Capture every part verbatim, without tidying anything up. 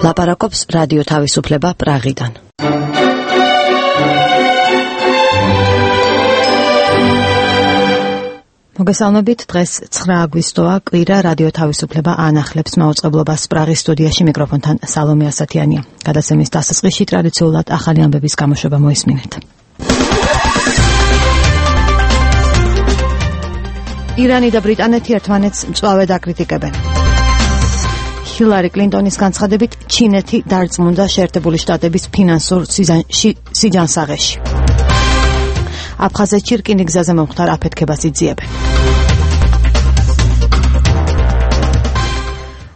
ლაპარაკობს რადიო თავისუფლება პრაღიდან. მოგესალმებით, დღეს ცხრა აგვისტოა, კვირა, რადიო თავისუფლება ანახლებს მაუწყებლობას პრაღის სტუდიაში, მიკროფონთან სალომე ასათიანია. გადაცემის დასაწყისში ტრადიციულად ახალი ამბების გამოშვება მოისმინეთ. ირანი და ბრიტანეთი ერთმანეთს მწვავედ აკრიტიკებენ. ჰილარი კლინტონის განცხადებით, ჩინეთი დარწმუნდა შეერთებული შტატების ფინანსურ სიჯანსაღეში. აფხაზეთში რკინიგზაზე მომხდარ აფეთქებას იძიებენ.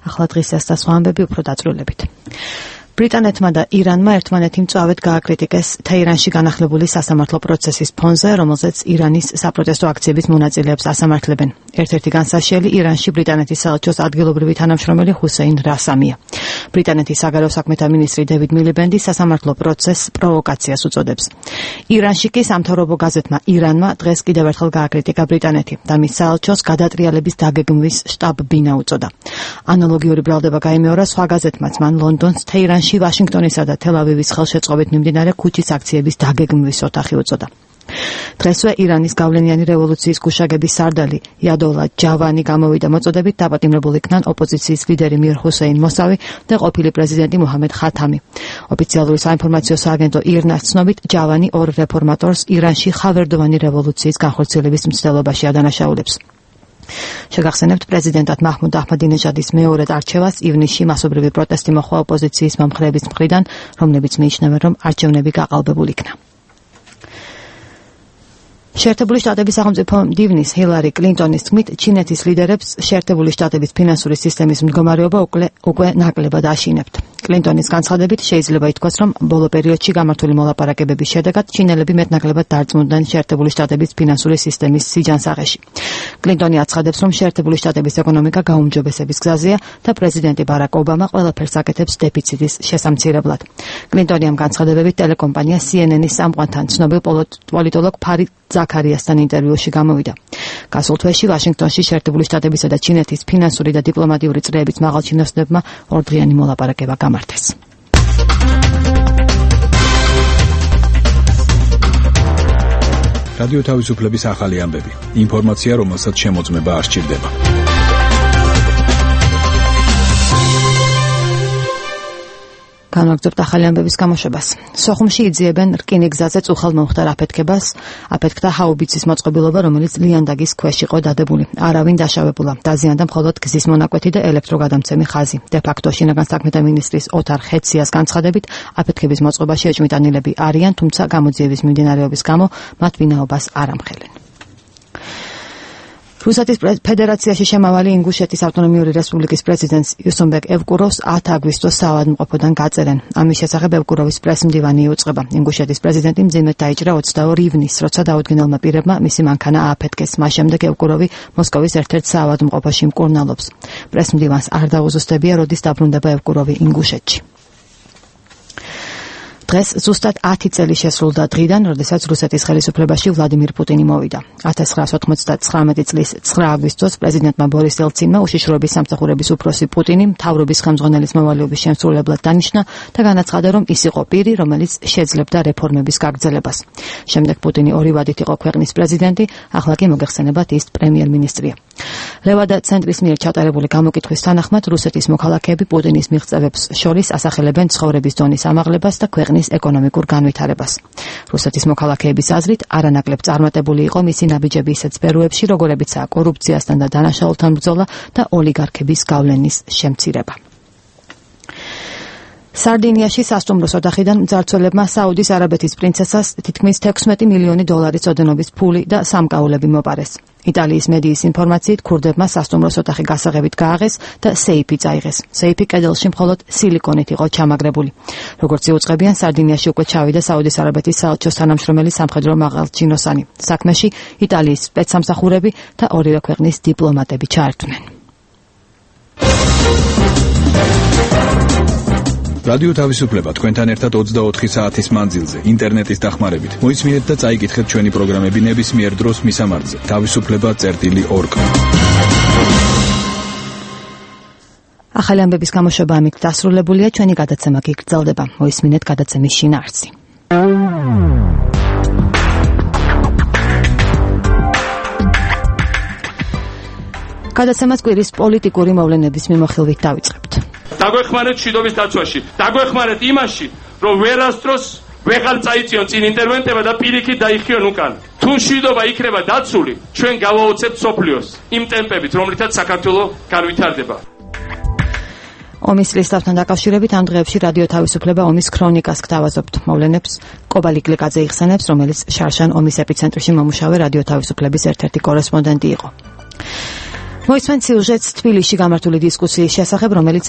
ახლა დღისას და სხვა ამბები უფრო დაწვრილებით. ბრიტანეთმა და ირანმა ერთმანეთი მწვავედ გააკრიტიკეს თეირანში განახლებული სასამართლო პროცესის ფონზე, რომელზეც ირანის საპროტესტო აქციების მონაწილეებს ასამართლებენ. ერთ-ერთი განსაშელი ირანში ბრიტანეთის საელჩოს ადგილობრივი თანამშრომელი ჰუსეინ რასამია. ბრიტანეთის საგარეო საქმეთა მინისტრი დევიდ მილიბენდი სასამართლო პროცესს პროვოკაციას უწოდებს. ირანში კი სამთავრობო გაზეთმა ირანმა დღეს კიდევ ერთხელ გააკრიტიკა ბრიტანეთი და მის საელჩოს გადატრიალების დაგეგმვის შტაბ-ბინა უწოდა. ანალოგიური ბრალდება გაიმეორა სხვა გაზეთმაც, მან ლონდონს თეირანში ვაშინგტონისა და თელ-ავივის ხელშეწყობით მიმდინარე ქუჩის აქციების დაგეგმვის ოთახი უწოდა. დღესვე ირანის გავლენიანი რევოლუციის გუშაგების სარდალი იადოლა ჯავანი გამოვიდა მოწოდებით, დაპატიმრებულ იქნან ოპოზიციის ლიდერი მირ ჰუსეინ მოსავი და ყოფილი პრეზიდენტი მუჰამედ ხათამი. ოფიციალური საინფორმაციო სააგენტო ირნას ცნობით, ჯავანი ორ რეფორმატორს ირანში ხავერდოვანი რევოლუციის განხორციელების მცდელობაში ადანაშაულებს. შეგახსენებთ, პრეზიდენტად მაჰმუდ აჰმადინეჟადის მეორედ არჩევას ივნისში მასობრივი პროტესტი მოჰყვა ოპოზიციის მომხრეების მხრიდან, რომლებიც მიიჩნევენ, რომ არჩევნები გაყალბებულ იქნა. შეერთებული შტატების სახელმწიფო მდივნის ჰილარი კლინტონის თქმით, ჩინეთის ლიდერებს შეერთებული შტატების ფინანსური სისტემის მდგომარეობა უკვე ნაკლებად აშინებთ. კლინტონის განცხადებით შეიძლება ითქვას, რომ ბოლო პერიოდში გამართული მოლაპარაკებების შედეგად ჩინელები მეტნაკლებად დარწმუნდნენ შეერთებული შტატების ფინანსური სისტემის სიჯანსაღეში. კლინტონი აცხადებს, რომ შეერთებული შტატების ეკონომიკა გაუმჯობესების გზაზეა და პრეზიდენტი ბარაკ ობამა ყველაფერს აკეთებს დეფიციტის შესამცირებლად. კლინტონი ამ განცხადებებით ტელეკომპანია სი ენ ენის სამყართან ცნობილ პოლიტოლოგ ფარიდ ზაქარიასთან ინტერვიუში გამოვიდა. გასულ თვეში ვაშინგტონში შეერთებული შტატებისა და ჩინეთის ფინანსური და დიპლომატიური წრეების მაღალჩინოსნებმა ორდღიანი მოლაპარაკება გამართეს. რადიო თავისუფლების ახალი ამბები. ინფორმაცია, რომელსაც შემოწმება არ სჭირდება. განვაგრძობთ ახალი ამბების გამოშვებას. სოხუმში იძიებენ რკინიგზაზე წუხელ მომხდარ აფეთქებას, აფეთქდა ჰაუბიცის მოწყობილობა, რომელიც ლიანდაგის ქვეშ იყო დადებული. არავინ დაშავებულა. დაზიანდა მხოლოდ გზის მონაკვეთი და ელექტროგადამცემი ხაზი. დე-ფაქტო შინაგან საქმეთა მინისტრის ოთარ ხეციას განცხადებით, აფეთქების მოწყობაში ეჭვმიტანილები არიან, თუმცა გამოძიების მიმდინარეობის გამო მათ ვინაობას არ ამხელენ. რუსეთის ფედერაციაში შემავალი ინგუშეთის ავტონომიური რესპუბლიკის პრეზიდენტს იუსუნბეკ ევკუროვს ათი აგვისტოს საავადმყოფოდან გაწერენ. ამის შესახებ ევკუროვის პრესმდივანი იუწყება. ინგუშეთის პრეზიდენტი მძიმედ დაიჭრა ოცდაორი ივნისს, როცა დაუდგენელმა პირებმა მისი მანქანა ააფეთქეს. მას შემდეგ ევკუროვი მოსკოვის ერთ-ერთ საავადმყოფოში მკურნალობს. პრესმდივანს არ დაუზუსტებია, როდის დაბრუნდება ევკუროვი ინგუშეთში. დღეს ზუსტად ათი წელი შესრულდა დღიდან, როდესაც რუსეთის ხელისუფლებაში ვლადიმირ პუტინი მოვიდა. ათას ცხრაას ოთხმოცდათხრამეტი წლის ცხრა აგვისტოს პრეზიდენტმა ბორის ელცინმა უშიშროების სამსახურების უფროსი პუტინი მთავრობის ხელმძღვანელის მოვალეობის შემსრულებლად დანიშნა და განაცხადა, რომ ის იყო პირი, რომელიც შეძლებდა რეფორმების გაგრძელებას. შემდეგ პუტინი ორი ვადით იყო ქვეყნის პრეზიდენტი, ახლა კი მოგეხსენებათ ის პრემიერ-მინისტრია. ლევადა ცენტრის მიერ ჩატარებული გამოკითხვის თანახმად, რუსეთის მოქალაქეები პუტინის მიღწევებს შორის ასახელებენ ცხოვრების დონის ამაღლებას და ქვეყნის ეკონომიკურ განვითარებას. რუსეთის მოქალაქეების აზრით, არანაკლებ წარმატებული იყო მისი ნაბიჯები ისეთ სფეროებში, როგორებიცაა კორუფციასთან და დანაშაულთან ბრძოლა და ოლიგარქების გავლენის შემცირება. სარდინიაში სასტუმროს ოთახიდან მძარცველებმა საუდის არაბეთის პრინცესას თითქმის თექვსმეტი მილიონი დოლარის ოდენობის ფული და სამკაულები მოპარეს. იტალიის მედიის ინფორმაციით, ქურდებმა სასტუმროს ოთახი გასაღებით გააღეს და სეიფი წაიღეს. სეიფი კედელში მხოლოდ სილიკონით იყო ჩამაგრებული. როგორც იუწყებიან, სარდინიაში უკვე ჩავიდა საუდის არაბეთის საელჩოს თანამშრომელი სამხედრო მაღალჩინოსანი. საქმეში იტალიის სპეცსამსახურები და ორივე ქვეყნის დიპლომატები ჩაერთვნენ. რადიო თავისუფლება თქვენთან ერთად ოცდაოთხი საათის მანძილზე ინტერნეტის დახმარებით. მოისმინეთ და წაიკითხეთ ჩვენი პროგრამები ნებისმიერ დროს მისამართზე თავისუფლება წერტილი ორგ. ახალი ამბების გამოშვება ამით დასრულებულია, ჩვენი გადაცემა კი გრძელდება. მოისმინეთ გადაცემის შინაარსი. გადაცემას კვირის პოლიტიკური მოვლენების მიმოხილვით დავიწყებთ. დაგვეხმარეთ მშვიდობის დაცვაში, დაგვეხმარეთ იმაში, რომ ვერასდროს ვეღარ წაიწიონ წინ ინტერვენტება და პირიქით დაიხიონ უკან. თუ მშვიდობა იქნება დაცული, ჩვენ გავაოცებთ სოფლიოს იმ ტემპებით, რომლითაც საქართველო განვითარდება. ომის ლისტავთან დაკავშირებით ამ დღეებში რადიო თავისუფლება ომის ქრონიკას გთავაზობთ. მოვლენებს კობალი გლიკაძე იხსენებს, რომელიც შარშან ომის ეპიცენტრში მომუშავე რადიო თავისუფლების ერთ-ერთი კორესპონდენტი იყო. მოისმენთ სიუჟეტს თბილისში გამართული დისკუსიის შესახებ, რომელიც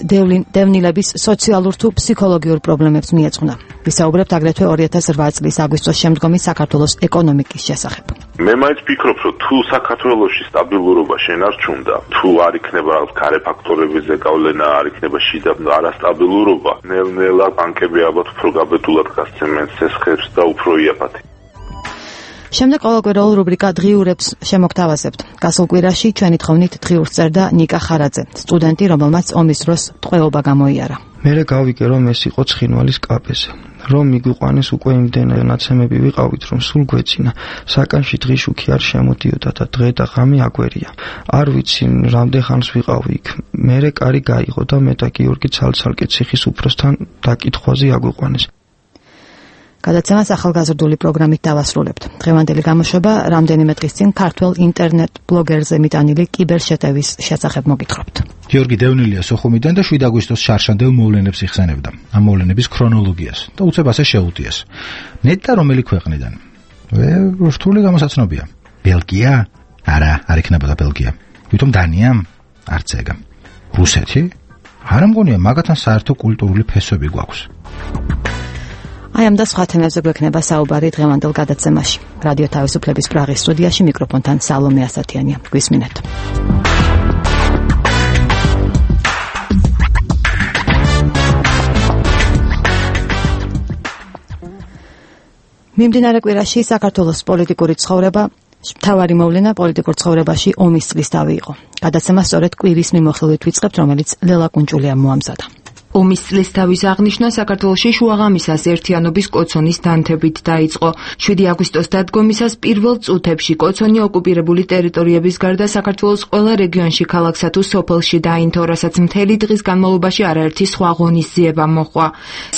დევნილების სოციალურ თუ ფსიქოლოგიურ პრობლემებს მიეძღვნა. ვისაუბრებთ აგრეთვე ორი ათას რვა წლის აგვისტოს შემდგომი საქართველოს ეკონომიკის შესახებ. მე მაინც ვფიქრობ, რომ თუ საქართველოში სტაბილურობა შენარჩუნდა, თუ არ იქნება რაღაც გარე ფაქტორებზე გავლენა, არ იქნება შიდა არასტაბილურობა, ნელ-ნელა ბანკები ალბათ უფრო გაბედულად გასცემენ სესხებს და უფრო იაფათი. შემდეგ ყოველკვირეულ რუბრიკა დღიურებს შემოგთავაზებთ. გასულ კვირაში ჩვენი თხოვნით დღიურს წერდა ნიკა ხარაძე, სტუდენტი, რომელმაც ომის დროს ტყვეობა გამოიარა. მერე გავიგე, რომ ეს იყო ცხინვალის კაფეზე. რომ მიგვიყვანეს უკვე იმდენად ნაცემები ვიყავით, რომ სულ გვეცინა. საკანში დღიშუქი არ შემოდიოდა და დღე და ღამე აგვერია. არ ვიცი, რამდენ ხანს ვიყავი იქ. მერე კარი გაიღო და მე და გიორგი ცალ-ცალკე ციხის უფროსთან დაკითხვაზე აგვიყვანეს. გადაცემას ახალგაზრდული პროგრამით დავასრულებთ. დღევანდელი გამოშვება რამდენიმე დღის წინ ქართულ ინტერნეტ ბლოგერზე მიტანილი კიბერშეტევის შესახებ მოგითხრობთ. გიორგი დევნილია სოხუმიდან და შვიდ აგვისტოს შარშანდელ მოვლენებს იხსენებდა. ამ მოვლენების ქრონოლოგიას და უცებ ასე შეუტიეს. ნეტა რომელი ქვეყნიდან? რთული გამოსაცნობია. ბელგია? არა, არ იქნებოდა ბელგია. ვითომ დანია? არც ეგა. რუსეთი? არ მგონია მაგათთან საერთო კულტურული ფესვები გვაქვს. აი ამ და სხვა თემებზე გვექნება საუბარი დღევანდელ გადაცემაში. რადიო თავისუფლების პრაღის სტუდიაში მიკროფონთან სალომე ასათიანია. გვისმინეთ. მიმდინარე კვირაში საქართველოს პოლიტიკური ცხოვრება მთავარი მოვლენა პოლიტიკურ ცხოვრებაში ომის წლისთავი იყო. გადაცემა სწორედ კვირის მიმოხილვით ვიწყებთ, რომელიც ლელა კუნჭულიამ მოამზადა. ომის წლისთავის აღნიშვნა საქართველოში შუაღამისას ერთიანობის კოცონის დანთებით დაიწყო. შვიდი აგვისტოს დადგომისას პირველ წუთებში კოცონი ოკუპირებული ტერიტორიების გარდა საქართველოს ყველა რეგიონში, ქალაქსა თუ სოფელში დაინთო, რასაც მთელი დღის განმავლობაში არაერთი სხვა ღონისძიება მოჰყვა.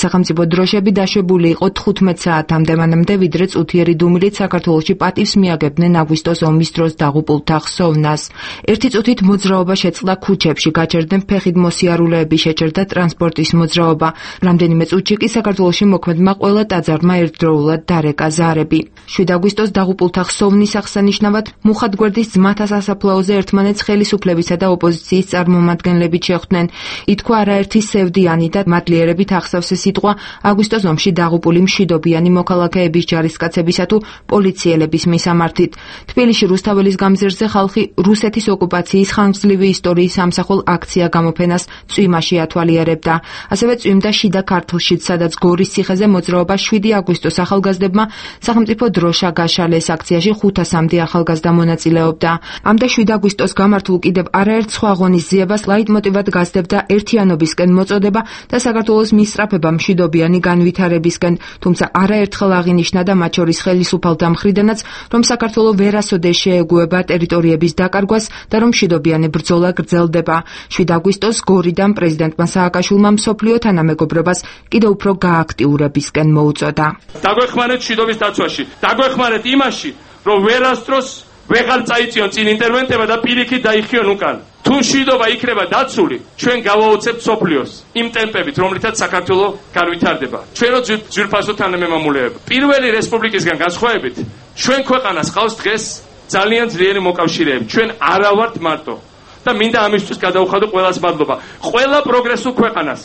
სახელმწიფო დროშები დაშვებული იყო თხუთმეტ საათამდე, მანამდე ვიდრე წუთიერი დუმილით საქართველოში პატივს მიაგებდნენ აგვისტოს ომის დროს დაღუპულთა ხსოვნას. ერთი წუთით მოძრაობა შეწყდა ქუჩებში, გაჩერდნენ ფეხით მოსიარულეები, შეჩერდა ტრანსპორტი სპორტის მოძრაობა. რამდენიმე წუთში კი საქართველოში მოქმედმა ყველა ტაძარმა ერთდროულად დარეკა ზარები. შვიდ აგვისტოს დაღუპულთა ხსოვნის აღსანიშნავად მუხათგვერდის ძმათა სასაფლაოზე ერთმანეთს ხელისუფლებისა და ოპოზიციის წარმომადგენლებით შეხვდნენ. ითქვა არაერთი სევდიანი და მადლიერებით ახსავსე სიტყვა აგვისტოს ომში დაღუპული მშვიდობიანი მოქალაქეების ჯარისკაცებისა თუ პოლიციელების მისამართით. თბილისში რუსთაველის გამზირზე ხალხი რუსეთის ოკუპაციის ხანგრძლივი ისტორიის სამსახურ აქცია გამოფენას წვიმაში ათვალიერებდა. ასევე წვიმდა შიდა ქართლშიც, სადაც გორის ციხეზე მოძრაობა შვიდი აგვისტოს ახალგაზრდებმა სახელმწიფო დროშა გაშალეს აქციაში ხუთასამდე ახალგაზრდა მონაწილეობდა. ამ და შვიდ აგვისტოს გამართულ კიდევ არაერთ სხვა ღონისძიებას ლაიტმოტივად გასდებდა ერთიანობისკენ მოწოდება და საქართველოს მისწრაფება მშვიდობიანი განვითარებისკენ, თუმცა არაერთხელ აღინიშნა და მათ შორის ხელისუფალთა მხრიდანაც, რომ საქართველო ვერასოდეს შეეგუება ტერიტორიების დაკარგვას და რომ მშვიდობიანი ბრძოლა გრძელდება. შვიდ აგვისტოს გორიდან პრეზიდენტმა სააკაშვილმა მსოფლიო თანამეგობრობას კიდევ უფრო გააქტიურებისკენ მოუწოდა. დაგვეხმარეთ მშვიდობის დაცვაში, დაგვეხმარეთ იმაში, რომ ვერასდროს ვეღარ წაიწიონ წინ ინტერვენტება და პირიქით დაიხიონ უკან. თუ მშვიდობა იქნება დაცული, ჩვენ გავაოცებთ სოფლიოს იმ ტემპებით, რომლითაც საქართველო განვითარდება. ჩვენო ძვირფასო თანამემამულეები, პირველი რესპუბლიკისგან განსხვავებით, ჩვენ ქვეყანას ყავს დღეს ძალიან ძლიერი მოკავშირეები. ჩვენ არა ვართ მარტო. და მინდა ამისთვის გადავხადო ყველას მადლობა. ყველა პროგრესულ ქვეყანას.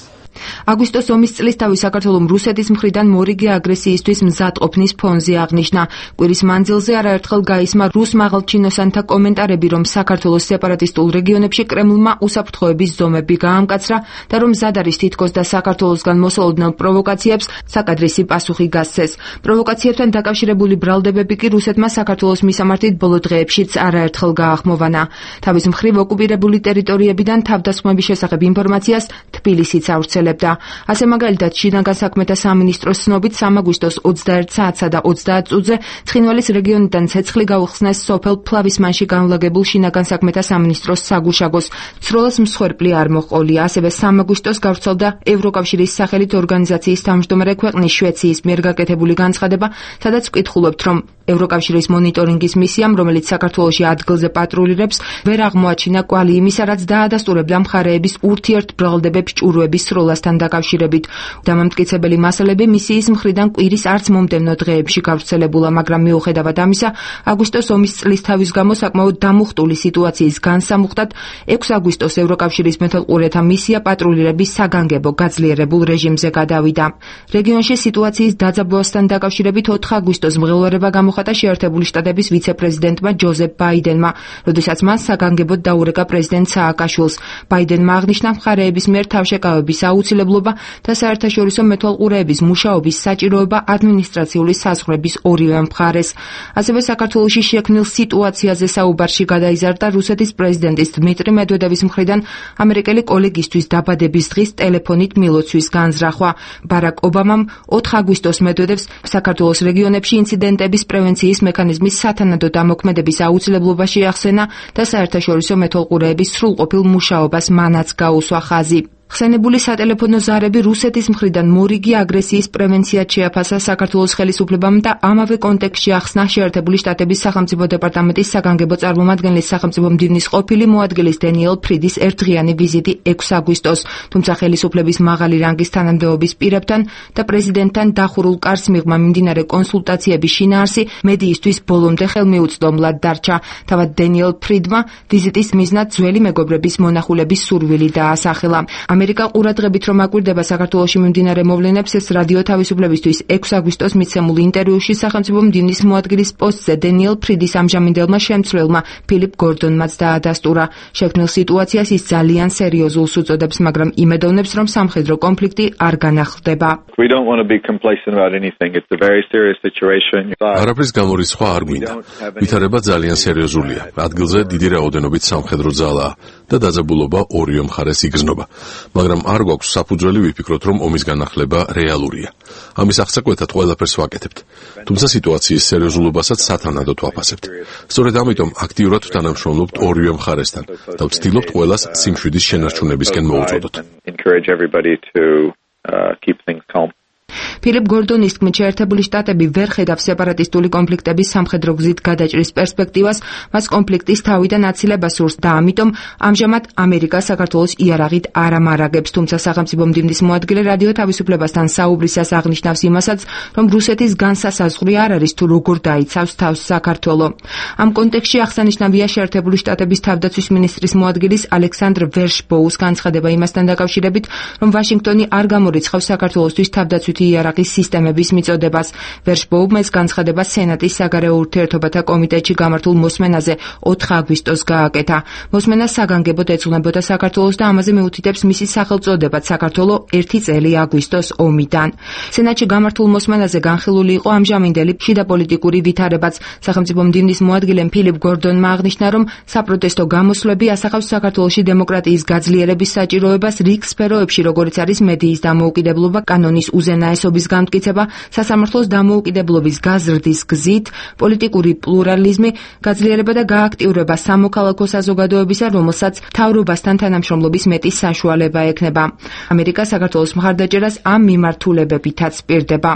აგვისტოს ომის წლის თავი საქართველოს რუსეთის მხრიდან მორიგი აგრესიისთვის მზადყოფნის ფონზე აღნიშნა. კვირის მანძილზე არაერთხელ გაისმა რუს მაღალჩინოსანთა კომენტარები, რომ საქართველოს სეპარატისტულ რეგიონებში კრემლმა უსაფრთხოების ზომები გაამკაცრა და რომ მზად არის თითქოს და საქართველოსგან მოსალოდნელ პროვოკაციებს საკადრისი პასუხი გასცეს. პროვოკაციებთან დაკავშირებული ბრალდებები კი რუსეთმა საქართველოს მისამართით ბოლო დღეებშიც არაერთხელ გაახმოვანა. თავის მხრივ ოკუპირებული ტერიტორიებიდან თავდასხმების შესახებ ინფორმაციას თბილისიც ავრცელებდა. ასე მაგალითად შინაგან საქმეთა სამინისტროს ცნობით სამი აგვისტოს ოცდაერთ საათსა და ოცდაათ წუთზე ცხინვალის რეგიონიდან ცეცხლი გაუხსნეს სოფელ ფლავისმანში განლაგებულ შინაგან საქმეთა სამინისტროს საგუშაგოს. ცროლას მსხვერპლი არ მოჰყოლია. ასევე სამი აგვისტოს გავრცელდა ევროკავშირის სახელით ორგანიზაციის თავმჯდომარე ქვეყნის შვეიცრიის მიერ გაკეთებული განცხადება, სადაც ვკითხულობთ, რომ ევროკავშირის მონიტორინგის მისიამ, რომელიც საქართველოში ადგილზე პატრულირებს, ვერ აღმოაჩინა კვალი იმისა, რაც დაადასტურებდა მხარეების ურთიერთბრალდებებს ჭურვების სროლასთან დაკავშირებით. დამამტკიცებელი მასალები მისიის მხრიდან კვირის არც მომდევნო დღეებში გავრცელებულა, მაგრამ მიუხედავად ამისა, აგვისტოს ომის წლის თავის გამო საკმაოდ დამუხტული სიტუაციის განსამუხტად ექვსი აგვისტოს ევროკავშირის მეთვალყურეთა მისია პატრულირების საგანგებო გაძლიერებულ რეჟიმზე გადავიდა. რეგიონში სიტუაციის დაძაბვასთან დაკავშირებით ოთხი აგვისტოს მღელვარება გამოხატა შეერთებული შტატების ვიცე-პრეზიდენტმა ჯოზეფ ბაიდენმა, როდესაც მან საგანგებოდ დაურეკა პრეზიდენტ სააკაშვილს. ბაიდენმა აღნიშნა მხარეების მიერ თავშეკავების აუცილებლობა და საერთაშორისო მეთვალყურეების მუშაობის საჭიროება ადმინისტრაციული საზღვრების ორივე მხარეს. ასევე საქართველოში შექმნილ სიტუაციაზე საუბარში გადაიზარდა რუსეთის პრეზიდენტის დმიტრი მედვედევის მხრიდან ამერიკელი კოლეგისთვის დაბადების დღის ტელეფონით მილოცვის განზრახვა. ბარაკ ობამამ ოთხი აგვისტოს მედვედევს საქართველოს რეგიონებში ინციდენტების პრევენციის მექანიზმის სათანადო დამოქმედების აუცილებლობა შეახსენა და საერთაშორისო მეთვალყურეების სრულყოფილ მუშაობას მანაც გაუსვა ხაზი. ხსენებული სატელეფონო ზარები რუსეთის მხრიდან მორიგი აგრესიის პრევენციად შეაფასა საქართველოს ხელისუფლებამ და ამავე კონტექსტში ახსნა შეერთებული შტატების სახელმწიფო დეპარტამენტის საგანგებო წარმომადგენლის სახელმწიფო მდივნის ყოფილი მოადგილის დენიელ ფრიდის ერთდღიანი ვიზიტი ექვსი აგვისტოს, თუმცა ხელისუფლების მაღალი რანგის თანამდებობის პირებთან და პრეზიდენტთან დახურულ კარს მიღმა მიმდინარე კონსულტაციების შინაარსი მედიისთვის ბოლომდე ხელმიუწვდომლად დარჩა. თავად დენიელ ფრიდმა ვიზიტის მიზნად ძველი მეგობრების მონახულების სურვილი დაასახელა. ამერიკა ყურადღებით რომ აკვირდება საქართველოში მიმდინარე მოვლენებს, ეს რადიო თავისუფლებისთვის ექვსი აგვისტოს მიცემულ ინტერვიუში სახელმწიფო მდივნის მოადგილის პოსტზე დენიელ ფრიდის ამჟამინდელმა შემცვლელმა ფილიპ გორდონმაც დაადასტურა. შექმნილ სიტუაციას ის ძალიან სერიოზულს უწოდებს, მაგრამ იმედოვნებს, რომ სამხედრო კონფლიქტი არ განახლდება. არაფრის გამორიცხვა არ გვინდა. ვითარება ძალიან სერიოზულია. ადგილზე დიდი რაოდენობით სამხედრო ძალაა და დაძაბულობა ორივე მხარეს იგრძნობა. მაგრამ არ გვაქვს საფუძველი ვიფიქროთ, რომ ომის განახლება რეალურია. ამის აღსაკვეთად ყველაფერს ვაკეთებთ. თუმცა სიტუაციის სერიოზულობასაც სათანადოდ ვაფასებთ. სწორედ ამიტომ აქტიურად ვთანამშრომლობთ ორივე მხარესთან და ვცდილობთ ყველას სიმშვიდის შენარჩუნებისკენ მოუწოდოთ. ფილიპ გორდონის თქმით, შეერთებული შტატები ვერ ხედავს სეპარატისტული კონფლიქტების სამხედრო გზით გადაჭრის პერსპექტივას, მას კონფლიქტის თავიდან აცილება სურს და ამიტომ ამჟამად ამერიკა საქართველოს იარაღით არ ამარაგებს, თუმცა სახელმწიფო მდივნის მოადგილე რადიო თავისუფლებასთან საუბრისას აღნიშნავს იმასაც, რომ რუსეთის განსასაზღვრი არ არის თუ როგორ დაიცავს თავს საქართველო. ამ კონტექსტში აღსანიშნავია შეერთებული შტატების თავდაცვის მინისტრის მოადგილის ალექსანდრ ვერშბოუს განცხადება იმასთან დაკავშირებით, რომ ვაშინგტონი არ გამორიცხავს საქართველოსთვის თავდაცვითი იარაღის სისტემების მიწოდებას. ვერშბოუმ ეს განცხადება სენატის საგარეო ურთიერთობათა კომიტეტში გამართულ მოსმენაზე ოთხი აგვისტოს გააკეთა. მოსმენა საგანგებოდ ეძღვნებოდა საქართველოს და ამაზე მეუთითებს მისი სახელწოდებაც საქართველო ერთი წელი აგვისტოს ომიდან. სენატში გამართულ მოსმენაზე განხილული იყო ამჟამინდელი შიდა პოლიტიკური ვითარებაც. სახელმწიფო მდივნის მოადგილემ ფილიპ გორდონმა აღნიშნა, რომ საპროტესტო გამოსვლები ასახავს საქართველოში დემოკრატიის გაძლიერების საჭიროებას რიგ სფეროებში, როგორიც არის მედიის დამოუკიდებლობა, კანონის უზენაესობის განმტკიცება, სასამართლოს დამოუკიდებლობის გაზრდის გზით, პოლიტიკური პლურალიზმი, გაძლიერება და გააქტიურება სამოქალაქო საზოგადოებისა, რომელსაც მთავრობასთან თანამშრომლობის მეტი საშუალება ექნება. ამერიკა საქართველოს მხარდაჭერას ამ მიმართულებებითაც პირდება.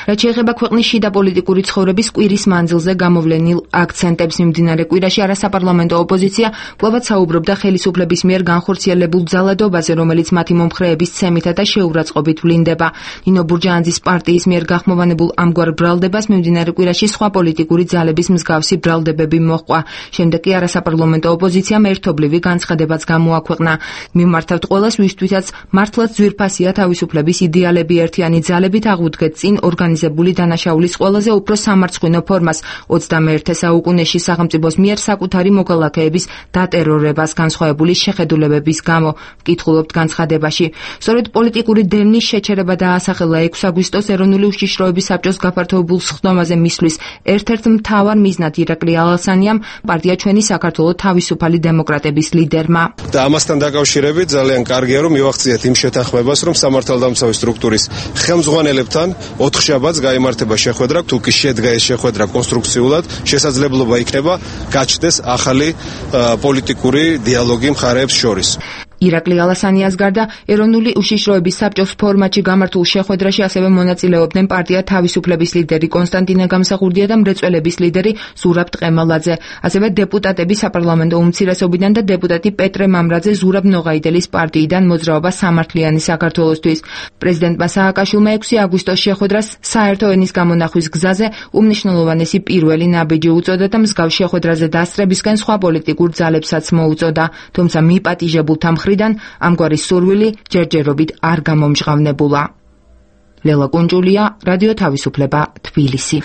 რაც შეეხება ქვეყნის შიდა პოლიტიკური ცხოვრების კვირის მანძილზე გამოვლენილ აქცენტებს, მიმდინარე კვირაში არასაპარლამენტო ოპოზიცია კვლავაც საუბრობდა ხელისუფლების მიერ განხორციელებულ ძალადობაზე, რომელიც მათი მომხრეების ცემითა და შეურაცხყოფით ვლინდება. ნინო ბურჯაანძის კვალაზის პარტიის მიერ გახმოვანებულ ამგვარ ბრალდებას მიმდინარე კვირაში სხვა პოლიტიკური ძალების მსგავსი ბრალდებები მოჰყვა. შემდეგ კი არასაპარლამენტო ოპოზიციამ ერთობლივი განცხადებაც გამოაქვეყნა. მიმართავთ ყველას, ვისთვისაც მართლაც ძვირფასია თავისუფლების იდეალები, ერთიანი ძალებით აღუდგეთ წინ ორგანიზებული დანაშაულის ყველაზე უფრო სამარცხვინო ფორმას ოცდამეერთე საუკუნეში სახელმწიფოს მიერ საკუთარი მოქალაქეების დატერორებას განსხვავებული შეხედულებების გამო. ვკითხულობთ განცხადებაში. სწორედ პოლიტიკური დევნის შეჩერება დაასახელა ექვსი აგვისტოს ეროვნული უშიშროების საბჭოს გაფართოებულ სხდომაზე მისვლის ერთ-ერთ მთავარ მიზნად ირაკლი ალასანიამ, პარტია ჩვენი საქართველო თავისუფალი დემოკრატების ლიდერმა. და ამასთან დაკავშირებით ძალიან კარგია რომ მივახციეთ იმ შეთანხმებას, რომ სამართალდამცავი სტრუქტურის ხელმძღვანელებთან ოთხშაბათს გაიმართება შეხვედრა, თუ კი შედგა ეს შეხვედრა კონსტრუქციულად, შესაძლებლობა იქნება გაჩნდეს ახალი პოლიტიკური დიალოგი მხარეებს შორის. ირაკლი ალასანიას გარდა ეროვნული უშიშროების საბჭოს ფორმატში გამართულ შეხვედრაში ასევე მონაწილეობდნენ პარტია თავისუფლების ლიდერი კონსტანტინე გამსახურდია და მრეწველების ლიდერი ზურაბ ტყემალაძე, ასევე დეპუტატები საპარლამენტო უმცირესობიდან და დეპუტატი პეტრე მამრაძე ზურაბ ნოღაიდელის პარტიიდან მოძრაობა სამართლიანი საქართველოსთვის. პრეზიდენტმა სააკაშვილმა ექვსი აგვისტოს შეხვედრას საერთო ენის გამონახვის გზაზე უმნიშვნელოვანესი პირველი ნაბიჯი უწოდა და მსგავს შეხვედრაზე დასწრებისკენ სხვა პოლიტიკურ ძალებსაც მოუწოდა, თუმცა მიპატიჟებულთა მხრიდან ამგვარი სურვილი ჯერჯერობით არ გამომჟღავნებულა. ლელა კუნჭულია, რადიო თავისუფლება, თბილისი.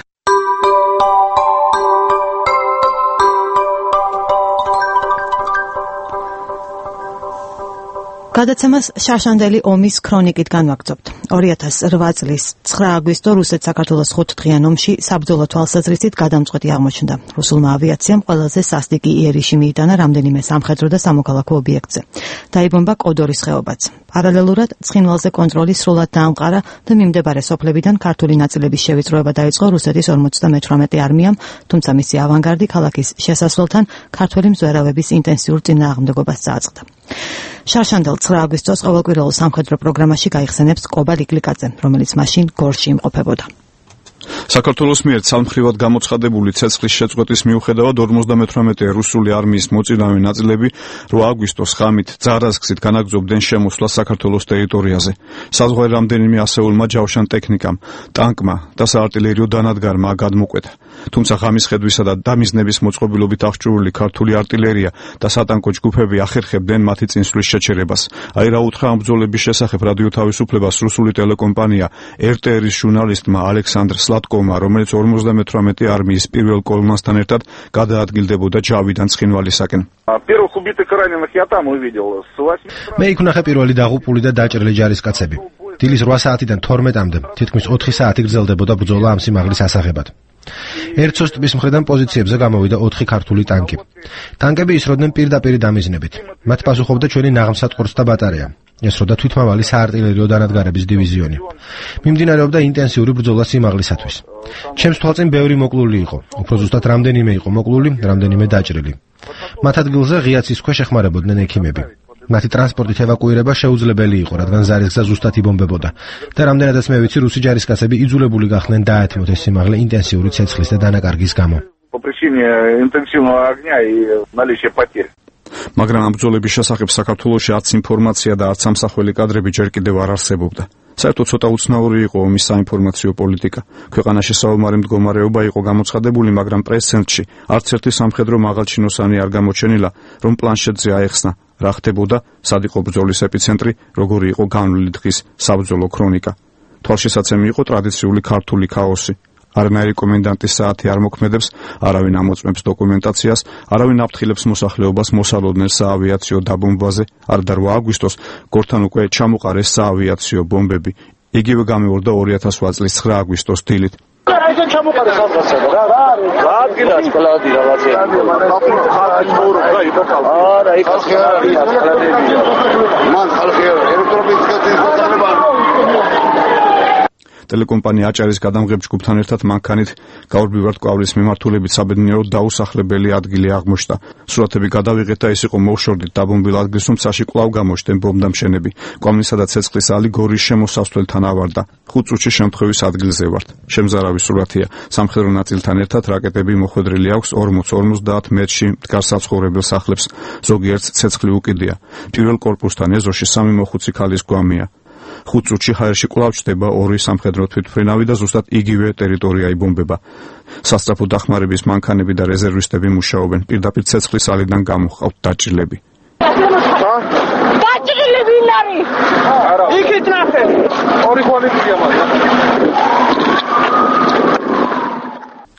გადაცემას შარშანდელი ომის ქრონიკით განვაგრძობთ. ორი ათას რვა წლის ცხრა აგვისტო რუსეთ-საქართველოს ხუთდღიან ომში საბრძოლო თვალსაზრისით გადამწყვეტი აღმოჩნდა. რუსულმა ავიაციამ ყველაზე სასტიკი იერიში მიიტანა რამდენიმე სამხედრო და სამოქალაქო ობიექტზე. დაიბომბა კოდორის ხეობაც. პარალელურად ცხინვალზე კონტროლი სრულად დაამყარა და მიმდებარე სოფლებიდან ქართული ნაწილების შევიწროება დაიწყო რუსეთის ორმოცდამეთვრამეტე არმიამ, თუმცა მისი ავანგარდი ქალაქის შესასვლელთან ქართველი მზვერავების ინტენსიურ წინააღმდეგობას წააწყდა. შარშანდელ ცხრა აგვისტოს ყოველკვირეულ სამხედრო პროგრამაში გაიხსენებს კობა ლიკლიკაძე, რომელიც მაშინ გორში იმყოფებოდა. საქართველოს მიერ ცალმხრივად გამოცხადებული ცეცხლის შეწყვეტის მიუხედავად ორმოცდამეთვრამეტე რუსული არმიის მოწინავე ნაწილები რვა აგვისტოს ღამით ძარაზგსით განაგრძობდნენ შემოსვლას საქართველოს ტერიტორიაზე. საზღვარი რამდენიმე ასეულმა ჯავშან ტექნიკამ, ტანკმა და საარტილერიო დანადგარმა გადმოკვეთა. თუმცა ღამის ხედვისა და დამიზნების მოწყობილობით აღჭურვილი ქართული არტილერია და სატანკო ჯგუფები ახერხებდნენ მათი წინსვლის შეჩერებას. აი რა უთხრა ამ ბრძოლების შესახებ რადიო თავისუფლებას რუსული ტელეკომპანია er te er-ის ჟურნალისტმა ალექსანდრ სლატკოვმა, რომელიც ორმოცდამეთვრამეტე არმიის პირველ კოლონასთან ერთად გადაადგილდებოდა ჯავიდან ცხინვალისაკენ. მე იქ ვნახე პირველი დაღუპული და დაჭრილი ჯარისკაცები. დილის რვა საათიდან თორმეტამდე თითქმის ოთხი საათი გრძელდებოდა ბრძოლა ამ სიმაღლის ასაღებად. ერცოს ტბის მხრიდან პოზიციებზე გამოვიდა ოთხი ქართული ტანკი. ტანკები ისროდნენ პირდაპირ დამიზნებით. მათ პასუხობდა ჩვენი ნაღმსატყორს და ბატარეა. ესროდა თვითმავალი საარტილერიო დანადგარების დივიზიონი. მიმდინარეობდა ინტენსიური ბრძოლა სიმაღლისათვის. ჩემს თვალწინ ბევრი მოკლული იყო. უფრო ზუსტად რამდენიმე იყო მოკლული, რამდენიმე დაჭრილი. მათ ადგილზე ღიაცის ქვეშ ეხმარებოდნენ ექიმები. მათი ტრანსპორტით ევაკუირება შეუძლებელი იყო, რადგან ზარისგზა ზუსტად იბომბებოდა და რამდენადაც მე ვიცი, რუსი ჯარისკაცები იძულებული გახდნენ დაეთმოთ ეს სიმაღლე ინტენსიური ცეცხლის და დანაკარგის გამო. მაგრამ ამ ბრძოლების შესახებ საქართველოში არც ინფორმაცია და არც სამსახველი კადრები ჯერ კიდევ არ არსებობდა. საერთოდ ცოტა უცნაური იყო ომის საინფორმაციო პოლიტიკა. ქვეყანაში საომარი მდგომარეობა იყო გამოცხადებული, მაგრამ პრეს-ცენტრში არც ერთი სამხედრო მაღალჩინოსანი არ გამოჩენილა, რომ პლანშეტზე აეხსნა რა ხდებოდა, სად იყო ბრძოლის ეპიცენტრი, როგორი იყო განვლილი დღის საბრძოლო ქრონიკა. თვალშისაცემი იყო ტრადიციული ქართული ქაოსი. არანაირი კომენდანტის საათი არ მოქმედებს, არავინ ამოწმებს დოკუმენტაციას, არავინ აფრთხილებს მოსახლეობას მოსალოდნელ საავიაციო დაბომბვაზე. არ და რვა აგვისტოს გორთან უკვე ჩამოყარეს საავიაციო ბომბები. იგივე გამეორდა ორი ათას რვა წლის ცხრა აგვისტოს დილით. აიგენ ჩამოყარეს ამასა რა რა არის? რა ადგილას კლადი რაღაცა. არა, იქ ხალხი არ არის, კლადებია. მან ხალხი ელექტრობის გაზის გადაღება ტელეკომპანია აჭარის გადამღებ ჯგუფთან ერთად მანქანით გაურბივართ კვავლის მიმართულებით საბედნიეროდ დაუსახლებელი ადგილი აღმოჩნდა. სურათები გადავიღეთ და ეს იყო მოუშორდით დაბომბილ ადგილს, თუმცა კვლავ გამოჩნდნენ ბომბდამშენები. კვამლისა და ცეცხლის ალი გორის შემოსასვლელთან ავარდა. ხუთ წუთში შემთხვევის ადგილზე ვართ. შემზარავი სურათია. სამხედრო ნაწილთან ერთად რაკეტები მოხვედრილი აქვს ორმოც ორმოცდაათ მეტრში მდგარ საცხოვრებელ სახლებს. ზოგიერთს ცეცხლი უკიდია. პირველ კორპუსთან ეზოში სამი მოხუცი ქალის გვამია. ხუთ წუთში ჰაერში კვლავ ჩდება ორი სამხედრო თვითმფრინავი და ზუსტად იგივე ტერიტორია იბომბება. სასწრაფო დახმარების მანქანები და რეზერვისტები მუშაობენ. პირდაპირ ცეცხლის ალიდან გამოჰყავთ დაჭრილები. დაჭრილები ვინ არის? არა. იქით ნახე. ორი ხვალიფია მაგრამ.